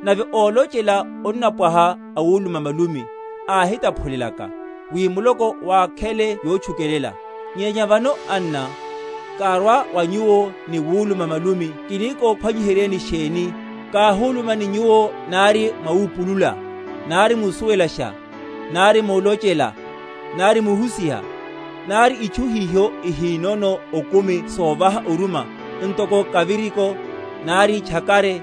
Nave oolocela onnapwaha awuuluma malumi, aahitaphulelaka, wi muloko waakhele yoochukelela. Nyenya vano anna, kaarwa wa nyuwo ni wuuluma malumi, kinikophwanyiheryeni xeeni? Kaahuulumani nyuwo, naari mwawuupulula, naari musuwelaxa, naari muulocela, naari muhusiha, naari ichu hiho ihiinono okumi soovaha oruma, ntoko kaviriko, naari tchakare,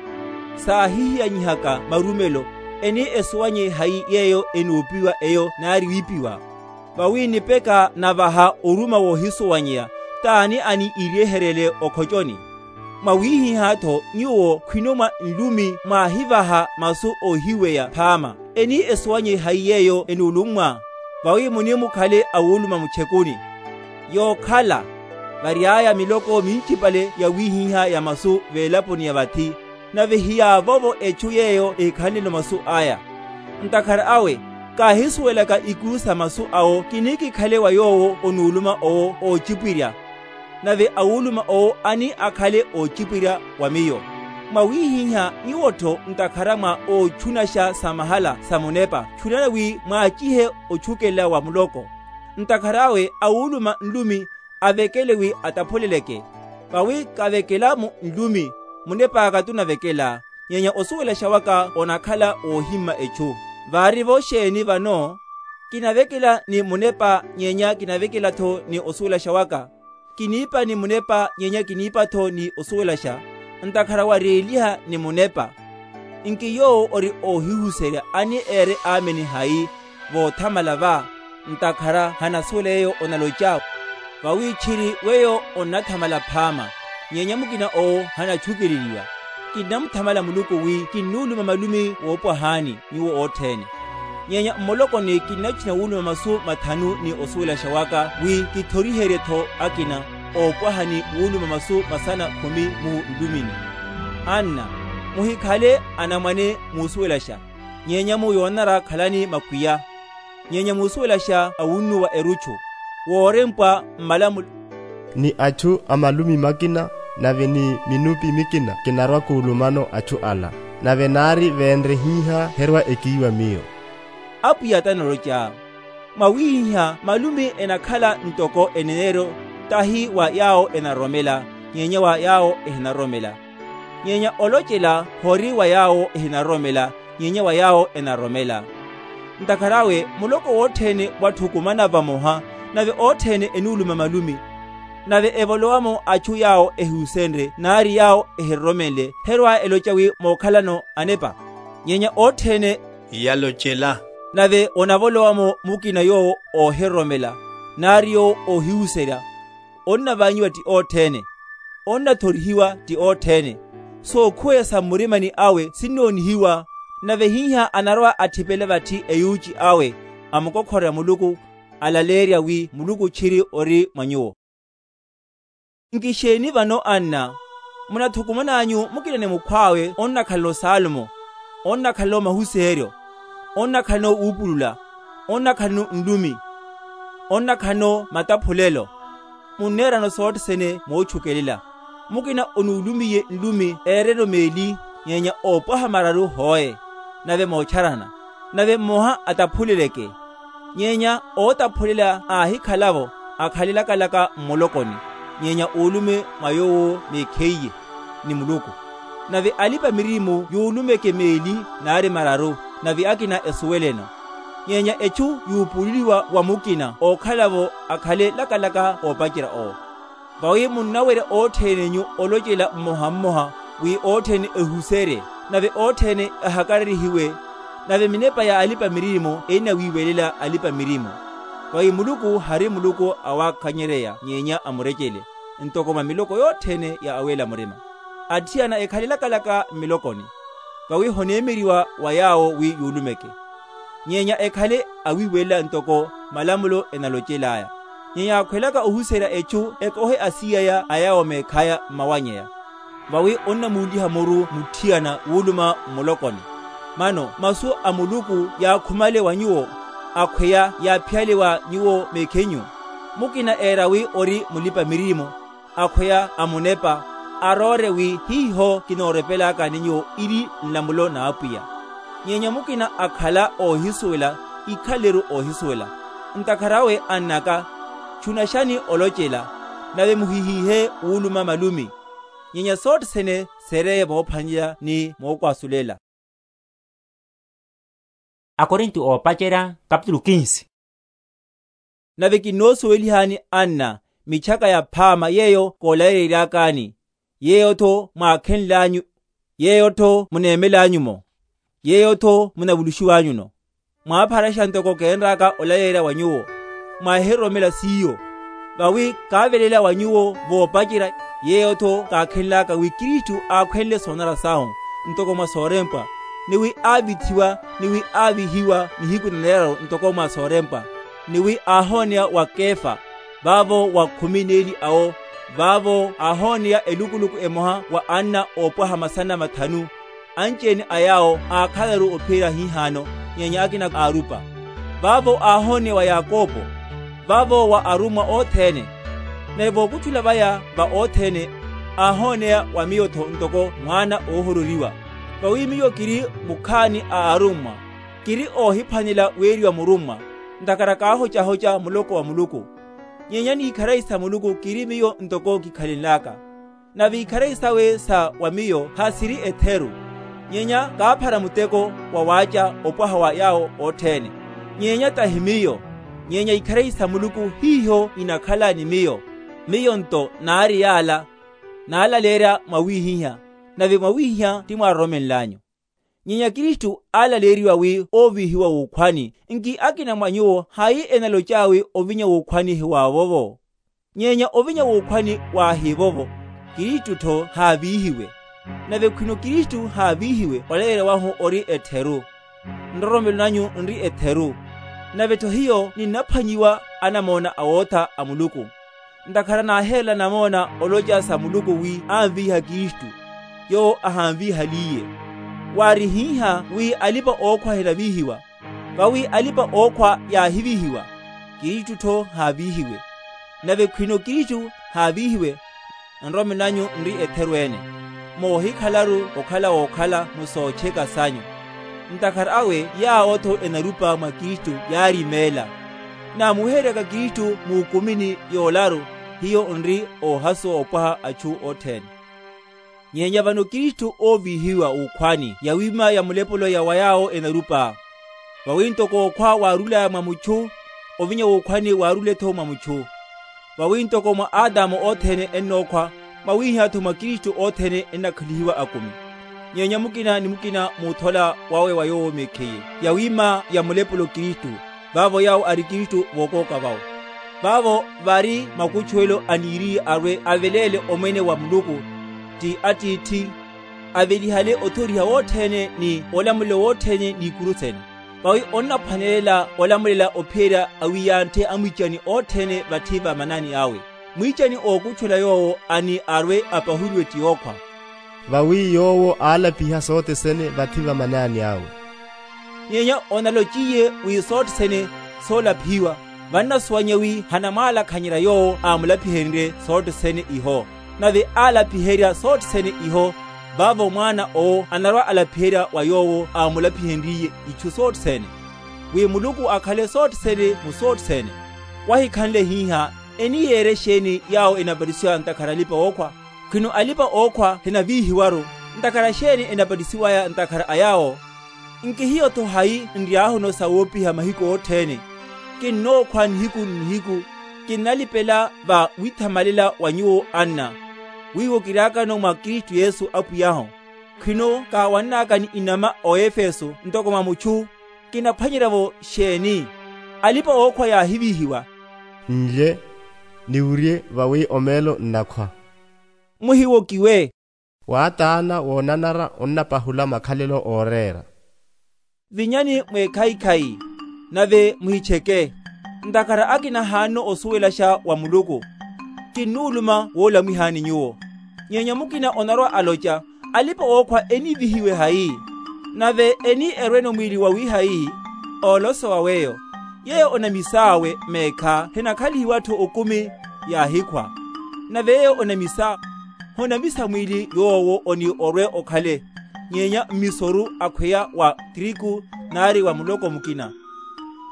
saahihiyanyihaka marumelo, eni esuwanye hayi yeeyo enuupiwa eyo naari wiipiwa? Vawi nipeka navaha oruma woohisuwanyeya, t'ani aniiryeheryele okhoconi? Mwawiihih'atho nyuwo khwino mwa nlumi mwaahivaha masu oohiweya phaama. Eni esuwanye hayi yeeyo enuulummwa? Vawi munimukhale awuuluma muchekuni. Yookhala, vary'aya miloko minchipale yawihiha ya masu veelaponi ya vathi, nave hiyaavovo echu yeeyo ehikhanleno masu aya. Ntakhara awe, kaahisuwelaka ikuru sa masu awo kinikikhale wa yoowo onuuluma owo oochipwirya, nave awuuluma owo ani akhale oochipwirya wa miyo. Mwawihiha nyuwo-tho, ntakhara mwa oochunaxa sa mahala sa munepa, chunani wi mwaachihe ochukelela wa muloko. Ntakhara awe awuuluma nlumi avekele wi ataphuleleke. Vawi kavekelamu nlumi, munep'aka tunavekela, nyenya osuwelaxa waka onakhala woohimma echu. Vaari-vo xeeni vano? Kinavekela ni munepa, nyenya kinavekela-tho ni osuwelaxa waka. Kiniipa ni munepa, nyenya kiniipa-tho ni osuwelaxa, ntakhara wareeliha ni munepa. Nki yoowo ori oohihuserya ani eere aamini hayi voothamala va? Ntakhara hanasuwela yeeyo onaloca. Vawi tchiri weyo onnathamala phaama, nyenya mukina owo hanatchukeleliwa. Kinnamuthamala muluku wi kinnuuluma malumi woopwahaani nyuwo otthene. Nyenya mmulokoni kinnachinya wuuluma masu mathanu ni osuwelaxa waka wi kithoriherye-tho akina oopwaha ni wuuluma masu masana khumi mu nlumini. Anna, muhikhale anamwane muusuwelaxa, nyenya mu yoonanara khalani makwiya. Nyenya muusuwelaxa awunnuwa eruchu, woorempwa mmalamulo, ni achu a malumi makina, nave ni minupi mikina kinarwa-kuulumano achu ala. Nave naari veenre hih'a herwa-ekiiwa miyo. Apwiya t'analoca. Mwawihiha malumi enakhala ntoko eneneeryo, tahi wa yaawo enaroromela, nyenya wa yaawo ehinaroromela. Nyenya olocela hori wa yaawo ehinaroromela, nyenya wa yaawo enaroromela. Ntakhara awe muloko wotthene watthukumana vamoha, nave otthene enuuluma malumi. Nave evolowa-mo achu yaawo ehusenrye naari yaawo ehiroromenle, herwa-eloca wi mookhalano anepa. Nyenya otthene yalocela. Nave onavolowa-mo mukina yoowo oohiroromela, naari yoowo oohihuserya. Onnavaanyiwa ti otthene, onnathorihiwa ti otthene. Sookhuweya sa mmurimani awe sinnoonihiwa. Nave hiha anarwa-atthipela vatthi eyuuci awe, amukokhorerya muluku, alaleerya wi muluku tchiri ori mwa nyuwo. Nki xeeni vano anna? Munathukuman'anyu mukina ni mukhw'awe onnakhalano saalmo, onnakhalano mahuseeryo, onnakhalano wuupulula, onnakhalano nlumi, onnakhalano mataphulelo. Munneerano sothene moochukelela. Mukina onuulumiye nlumi eereno meeli, nyenya oopwaha mararu hooye, nave moocharana, nave mmoha ataphuleleke. Nyenya ootaphulela aahikhala-vo, akhale laka-laka mmulokoni, nyenya uulume mwa yoowo meekheiye ni muluku. Nave alipa-miririmo yuulumeke meeli naari mararu, nave akina esuweleno. Nyenya echu yuupuululiwa wa mukina ookhala-vo akhale laka-laka oopacerya owo. Vawi munnawerya otthene-nyu olocela mmoha-mmoha, wi otthene ehuserye, nave otthene ahakarerihiwe. Nave minepa ya alipa-miririmo ennawiiwelela alipa-miririmo. Vawi muluku hari muluku awakhanyereya nyenya amurecele, ntoko mwa miloko yotthene ya aweela murima. Atthiyana ekhale laka-laka mmilokoni, vawi honeemeriwa wa yaawo wi yuulumeke. Nyenya ekhale awiiwelela ntoko malamulo enalocel'aya. Nyenya yaakhwelaka ohuserya echu ekohe asiyaya a yaawo meekhaya mmawanyeya. Vawi onnamuuliha muru mutthiyana wuuluma mmulokoni. Mano masu a muluku yaakhumale wa nyuwo, akhweya yaaphiyale wa nyuwo meekhenyu. Mukina eera wi ori mulipa-miririmo, akhweya a munepa, aroore wi hiho kinoorepelakani nyuwo iri nlamulo n'apwiya. Nyenya mukina akhala oohisuwela, ikhaleru oohisuwela. Ntakhara awe annaka, chunaxani olocela, nave muhihiihe wuuluma malumi. Nyenya sothene seereye moophwanela ni mookwasulela. Akorinto oopacerya kapitulu kinsi. Nave kinnoosuwelihani anna mitchaka ya phaama yeeyo koolayereryakani, yeeyo-tho mwaakhenl'anyu, yeeyo-tho muneemel'anyu-mo, yeeyo-tho munavuluxiw'anyu-no. Mwaapharaxa ntoko keenr'aka olayerya wa nyuwo, mwaahiroromela s'iyo. Vawi kaavelela wa nyuwo voopacerya, yeeyo-tho kaakhenl'aka wi kristu aakhwenle soonanara sahu, ntoko mwa soorempwa. ni wi aavithiwa, ni wi aavihiwa nihiku na neraru ntoko mwa soorempwa, ni wi aahooneya wa kefa, vaavo wa khumi n'eli awo, vaavo aahooneya elukuluku emoha wa anna oopwaha masana mathanu. Anci-ene a yaawo aakhalaru ophiyerya hihaano, nyenya akina aarupa. Vaavo aahooneya wa yakopo, vaavo wa arummwa othene. Nave vookutthula vaya va othene, aahooneya wa miyo-tho ntoko mwaana oohororiwa. Vawi miyo kiri mukhaani a arummwa, kiri oohiphwanela weeriwa murummwa, ntakhara kaahocahoca muloko wa muluku. Nyenya n'ikharari sa muluku kiri miyo ntoko kikhalenlaka. Nave ikharari sawe sa wa miyo hasiri etheru, nyenya kaaphara muteko wa waaca opwaha wa yaawo othene. Nyenya tahi miyo, nyenya ikharari sa muluku hiiho inakhala ni miyo. Miyo nto naari yaala, naalaleerya mwawihiha, nave mwawihiha ti mwaaroromenl'anyu. Nyenya kristu aalaleeriwa wi oovihiwa wuukhwani. Nki akina mwa nyuwo hayi enalocaawi ovinya wuukhwani hiwaawovo? Nyenya ovinya wuukhwani waahivovo, kristu-tho haavihiwe. Nave khwino kristu haavihiwe, olaleerya wahu ori etheru, nroromelo nanyu nri etheru. Nave-tho hiyo ninnaphwanyiwa anamoona awootha a muluku. Ntakhara naaheerela namoona oloca sa muluku wi anviiha kristu, yoowo ahanviihaliye. Waari hiiha wi alipa-ookhwa hinaviihiwa, vawi alipa-ookhwa yaahiviihiwa, kristu-tho haaviihiwe. Nave khwino kristu haaviihiwe, nroromelo nanyu nri etheru-ene, moohikhalaru okhala wookhala mu sooceka sanyu. Ntakhara awe yaawo-tho enarupa mwa kristu yaarimeela. Naamuweheryaka kristu muukumini yoolaru, hiyo nri oohasuwa opwaha achu othene. Nyenya vano kristu oovihiwa wuukhwani yawima ya mulepolo ya wa yaawo enarupa. Vawi ntoko okhwa waarulaya mwa muchu, ovinya wuukhwani waarule-tho mwa muchu. Vawi ntoko mwa adamo othene ennookhwa, mwawiiha-tho mwa kristu othene ennakhalihiwa akumi. Nyenya mukina ni mukina muuthola wawe wa yoowo mekhiye, yawima ya mulepolo kristu, vaavo yaawo ari kristu vookooka vawe. Vaavo vari makuchuwelo aniiriye arwe aveleele omwene wa muluku, ti attiithi, avelihale othoriha wothene ni olamulelo wothene n'ikuru sene. Vawi onnaphwanelela olamulela ophiyerya awiyantthe amwiicani othene vathi va manaani awe. Mwiicani ookuchuwela yoowo ani arwe apahuliwe ti yookhwa. Vawi yoowo aalapiha sothene vathi va manaani awe. Nyenya onalociye wi sothene soolapihiwa, vannasuwanya wi hanamwaalakhanyerya yoowo aamulapihenrye sothene iho. Nave aalapiherya sothene iho, vaavo mwaana owo anarwa-alapiherya wa yoowo aamulapihenryiye ichu sothene, wi muluku akhale sothene mu sothene. Wahikhanle hiiha, eniyeerya exeeni yaawo enapatisiwa ntakhara alipa-ookhwa? Khwino alipa-ookhwa hinaviihiwaru, ntakhara xeeni enapatisiwaya ntakhara a yaawo? Nki hiyo-tho hayi nryaahuno sa woopiha mahiku othene? Kinnookhwa nihiku ni nihiku, kinnalipela va withamalela wa nyuwo anna, wiiwo kiraakano mwa kristu yesu apwiyahu. Khwino kaawannaakani inama o efeso ntoko mwa muchu? Kinaphwanyerya-vo xeeni? Alipa-ookhwa yaahiviihiwa. Nlye, niwurye vawi omeelo nnakhwa. Muhiwokiwe. Waataana woonanara onnapahula makhalelo ooreera. Vinyani mweekhayikhayi, nave muhicheke, ntakhara akina haanno osuwelaxa wa muluku. Kinnuuluma woolamwihani nyuwo. Nyenya mukina onarwa-aloca, alipa-ookhwa enivihiwe hayi? Nave eni erweno mwiili wawihayi? Oolosowa weyo, yeeyo onamis'awe meekha hinakhalihiwa-tho okumi, yaahikhwa. Nave yeeyo onamisa, honamisa mwiili yoowo oni orwe okhale, nyenya mmisoru akhweya wa triku, nari wa muloko mukina.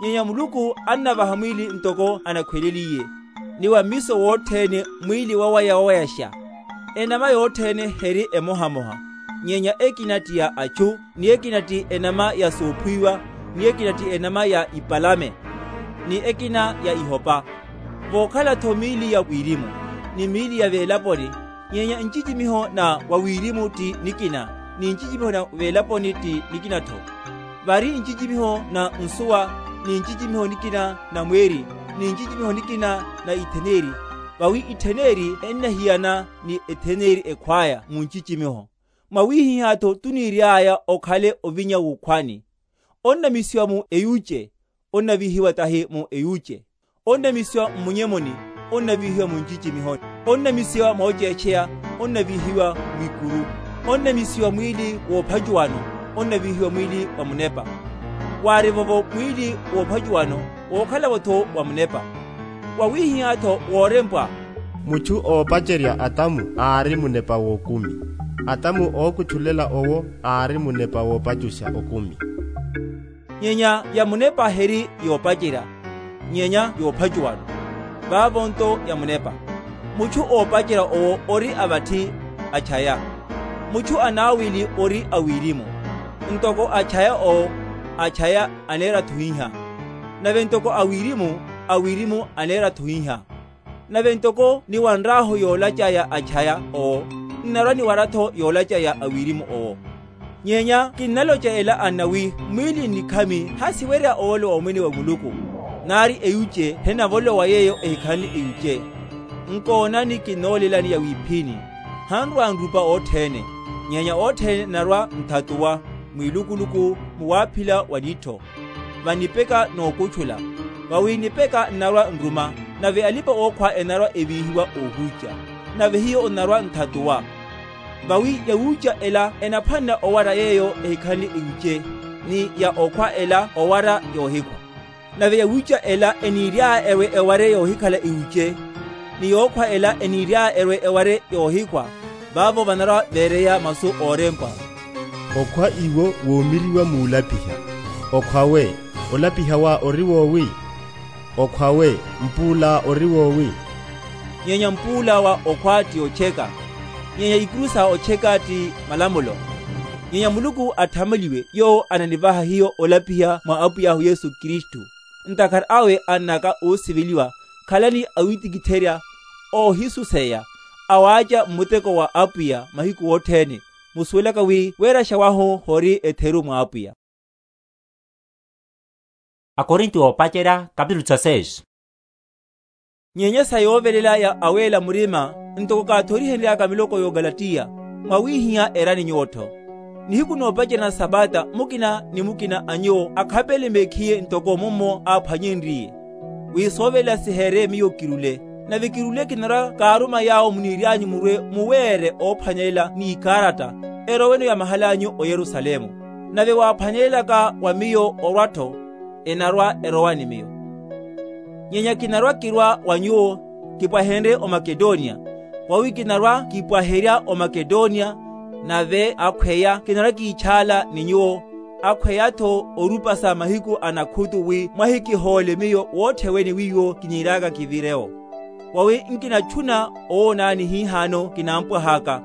Nyenya muluku annavaha mwiili ntoko anakhweleliye, ni wa mmiso wothene mwiili wawaya-wawayaxa. Enama yothene heri emoha-moha, nyenya ekina ti ya achu, ni ekina ti enama ya soophwiwa, ni ekina ti enama ya ipalame, ni ekina ya ihopa. Vookhala-tho miili ya wirimu, ni miili ya velaponi, nyenya ncicimiho na wa wirimu ti nikina, ni ncicimiho na velaponi ti nikina-tho. Vari ncicimiho na nsuwa, ni ncicimiho nikina na mweeri, ni ncicimiho nikina na itheneri, vawi itheneri ennahiyana ni etheneri ekhwaya mu ncicimiho. Mwawihihya-tho tuniiry'aya okhale ovinya wukhwani. Onnamisiwa mu eyuce, onnavihiwa tahi mu eyuce. Onnamisiwa mmunyemuni, onnavihiwa muncicimihoni. Onnamisiwa mooceecheya, onnavihiwa mwikuru. Onnamisiwa mwiili woophatuwano, onnavihiwa mwiili wa munepa. Waari-vo-vo mwiili woophatuwano, wookhala-vo-tho wa munepa. Wawihihya-tho woorempwa. Muchu oopacerya atamu aari munepa w'okumi. Atamu ookutchulela owo aari munepa woopacuxa okumi. Nyenya ya munepa heri yoopacerya, nyenya yoopacuwano. Vaavo-nto ya munepa. Muchu oopacerya owo ori avatthi achaya. Muchu anaawili ori a wirimu. Ntoko achaya owo, achaya aneera-tho hihya. Nave ntoko a wirimu, a wirimu aneera-tho hihya. Nave ntoko niwanr'ahu yoolaca ya achaya owo, nnarwa-niwara-tho yoolaca ya a wirimu owo. Nyenya kinnaloca ela anna wi, mwiili nnikhami hasiwerya oolo omwene wa muluku. Naari eyuce henavolowa yeeyo ehikhanle eyuce. Nkoonani kinnoolelani ya wiphini. Hanrwa-nrupa othene, nyenya othene narwa-nthatuwa, mwilukuluku, muwaaphila wa nittho. Vanipeka nookutchula. Vawi nipeka nnarwa-nruma, nave alipa-ookhwa enarwa-evihiwa oohuuca. Nave hiyo nnarwa-nthatuwa. Vawi yawuuca ela enaphwanela owara yeeyo ehikhanle iwuce, ni ya okhwa ela owara yoohikhwa. Nave yawuuca ela eniiry'aya erwe eware yoohikhala iwuce, ni yookhwa ela eniiry'aya erwe eware yoohikhwa. Vaavo vanarwa-veereya masu oorempwa. Okhwa iwo woomiriwa muulapiha. Okhw'awe, olapiha wa ori woowi? Okhw'awe, mpuul'awe ori woowi? Nyenya mpuul'awe okhwa ti oceka. Nyenya ikuru sa oceka ti malamulo. Nyenya muluku atthamaliwe yoowo ananivaha hiyo olapiha mwa apwiy'ahu yesu kristu. Ntakhara awe ann'aka oosiveliwa, khalani awitikitherya, oohisuseya, awaaca mmuteko wa apwiya mahiku othene. Musuwelaka wi weeraxa wahu hori etheru mwa apwiya. Akorinto oopacerya kapitulu tsa seis. Nyenya sa yoovelela ya aweela murima, ntoko kaathorihenry'aka miloko y'okalatiya, mwawihiha erani nyuwo-tho. Nihiku noopacerya na sapata mukina ni mukina a nyuwo akhapele mekhiye ntoko mummo aaphwanyenryiye, wi soovelela siheereye miyo kirule. Nave kirule kinarwa-kaaruma yaawo muniiry'anyu murwe muweere oophwanyelela n'ikaaratta, eroweno ya mahal'anyu oyerusalemu. Nave waaphwanyelelaka wa miyo orwa-tho, enarwa-erowa ni miyo. Nyenya kinarwa-kirwa wa nyuwo, kipwahenrye omakedoniya. Vawi kinarwa-kipwaherya omakedoniya, nave akhweya kinarwa-kiitxaala ni nyuwo, akhweya-tho orupasa mahiku a nakhutu wi mwahikihoole miyo wootthene wiwo kiniiry'aka kivire-wo. Vawi nkinatthuna owoonani hihaano kinampwah'aka.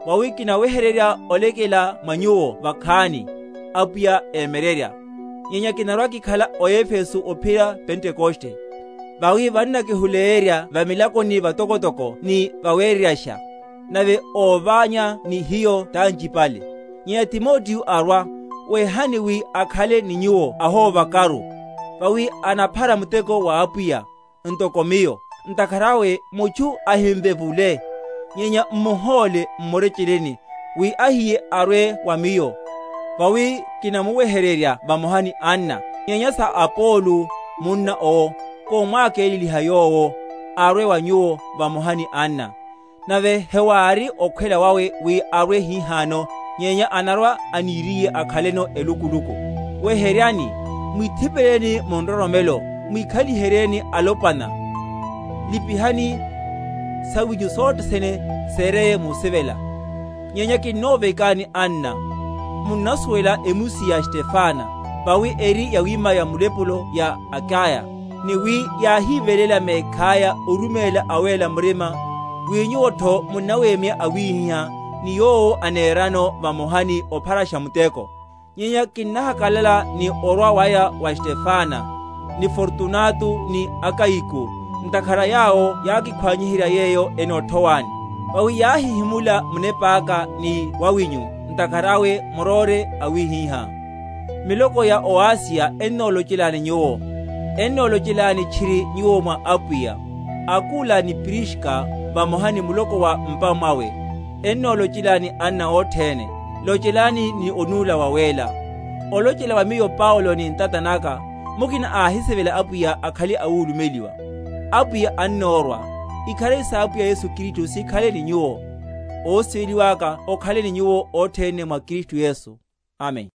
Vawi kinawehererya olekela mwa nyuwo vakhaani, apwiya eemererya. Nyenya kinarwa-kikhala oefesu ophira pentekoste. Vawi vannakihuleerya vamilakoni vatokotoko ni vaweereryaxa, nave oovaanya ni hiyo t'ancipale. Nyenya timotiyo arwa, weehani wi akhale ni nyuwo ahoovakaru, vawi anaphara muteko wa apwiya, ntoko miyo. Ntakhara awe muchu ahinvevule, nyenya mmuhoole mmureceleni, wi ahiye arwe wa miyo. Vawi kinamuwehererya vamoha ni anna. Nyenya sa apolo, munna owo, koomwaakeeleliha yoowo, arwe wa nyuwo vamoha ni anna. Nave hewaari okhwela wawe wi arwe hihaano, nyenya anarwa-aniiriye akhaleno elukuluku. Weheryani, mwithipeleni mu nroromelo, mwikhaliheryeni alopwana. Lipihani sawinyu sothene seereye muusivela. Nyenya kinnoovekani anna, munnasuwela emusi ya stefana, vawi eri yawima ya mulepulo ya akaya, ni wi yaahivelela meekh'aya orumeela aweela murima, wi nyuwo-tho munnaweemya awiihiha ni yoowo aneerano vamoha ni opharaxa muteko. Nyenya kinnahakalala ni orwa waya wa stefana, ni fortunato ni akaiku, ntakhara yaawo yaakikhwanyiherya yeeyo enoothowani. Vawi yaahihimula munep'aka ni wawinyu, ntakhara awe muroore awiihiha. Miloko ya oasiya ennoolocelani nyuwo. Ennoolocelani txiri nyuwo mwa apwiya. Akula ni priska, vamoha ni muloko wa mpa mwawe, Ennoolocelani anna othene, locelani ni onuula waweela. Olocela wa miyo paulo ni ntata naka, mukina aahisivela apwiya akhale awuulumeliwa. Apwiya annoorwa. Ikharari s'apwiya yesu kristu sikhale ni nyuwo. Oosiveliw'aka okhale ni nyuwo othene mwa kristu yesu. Amen.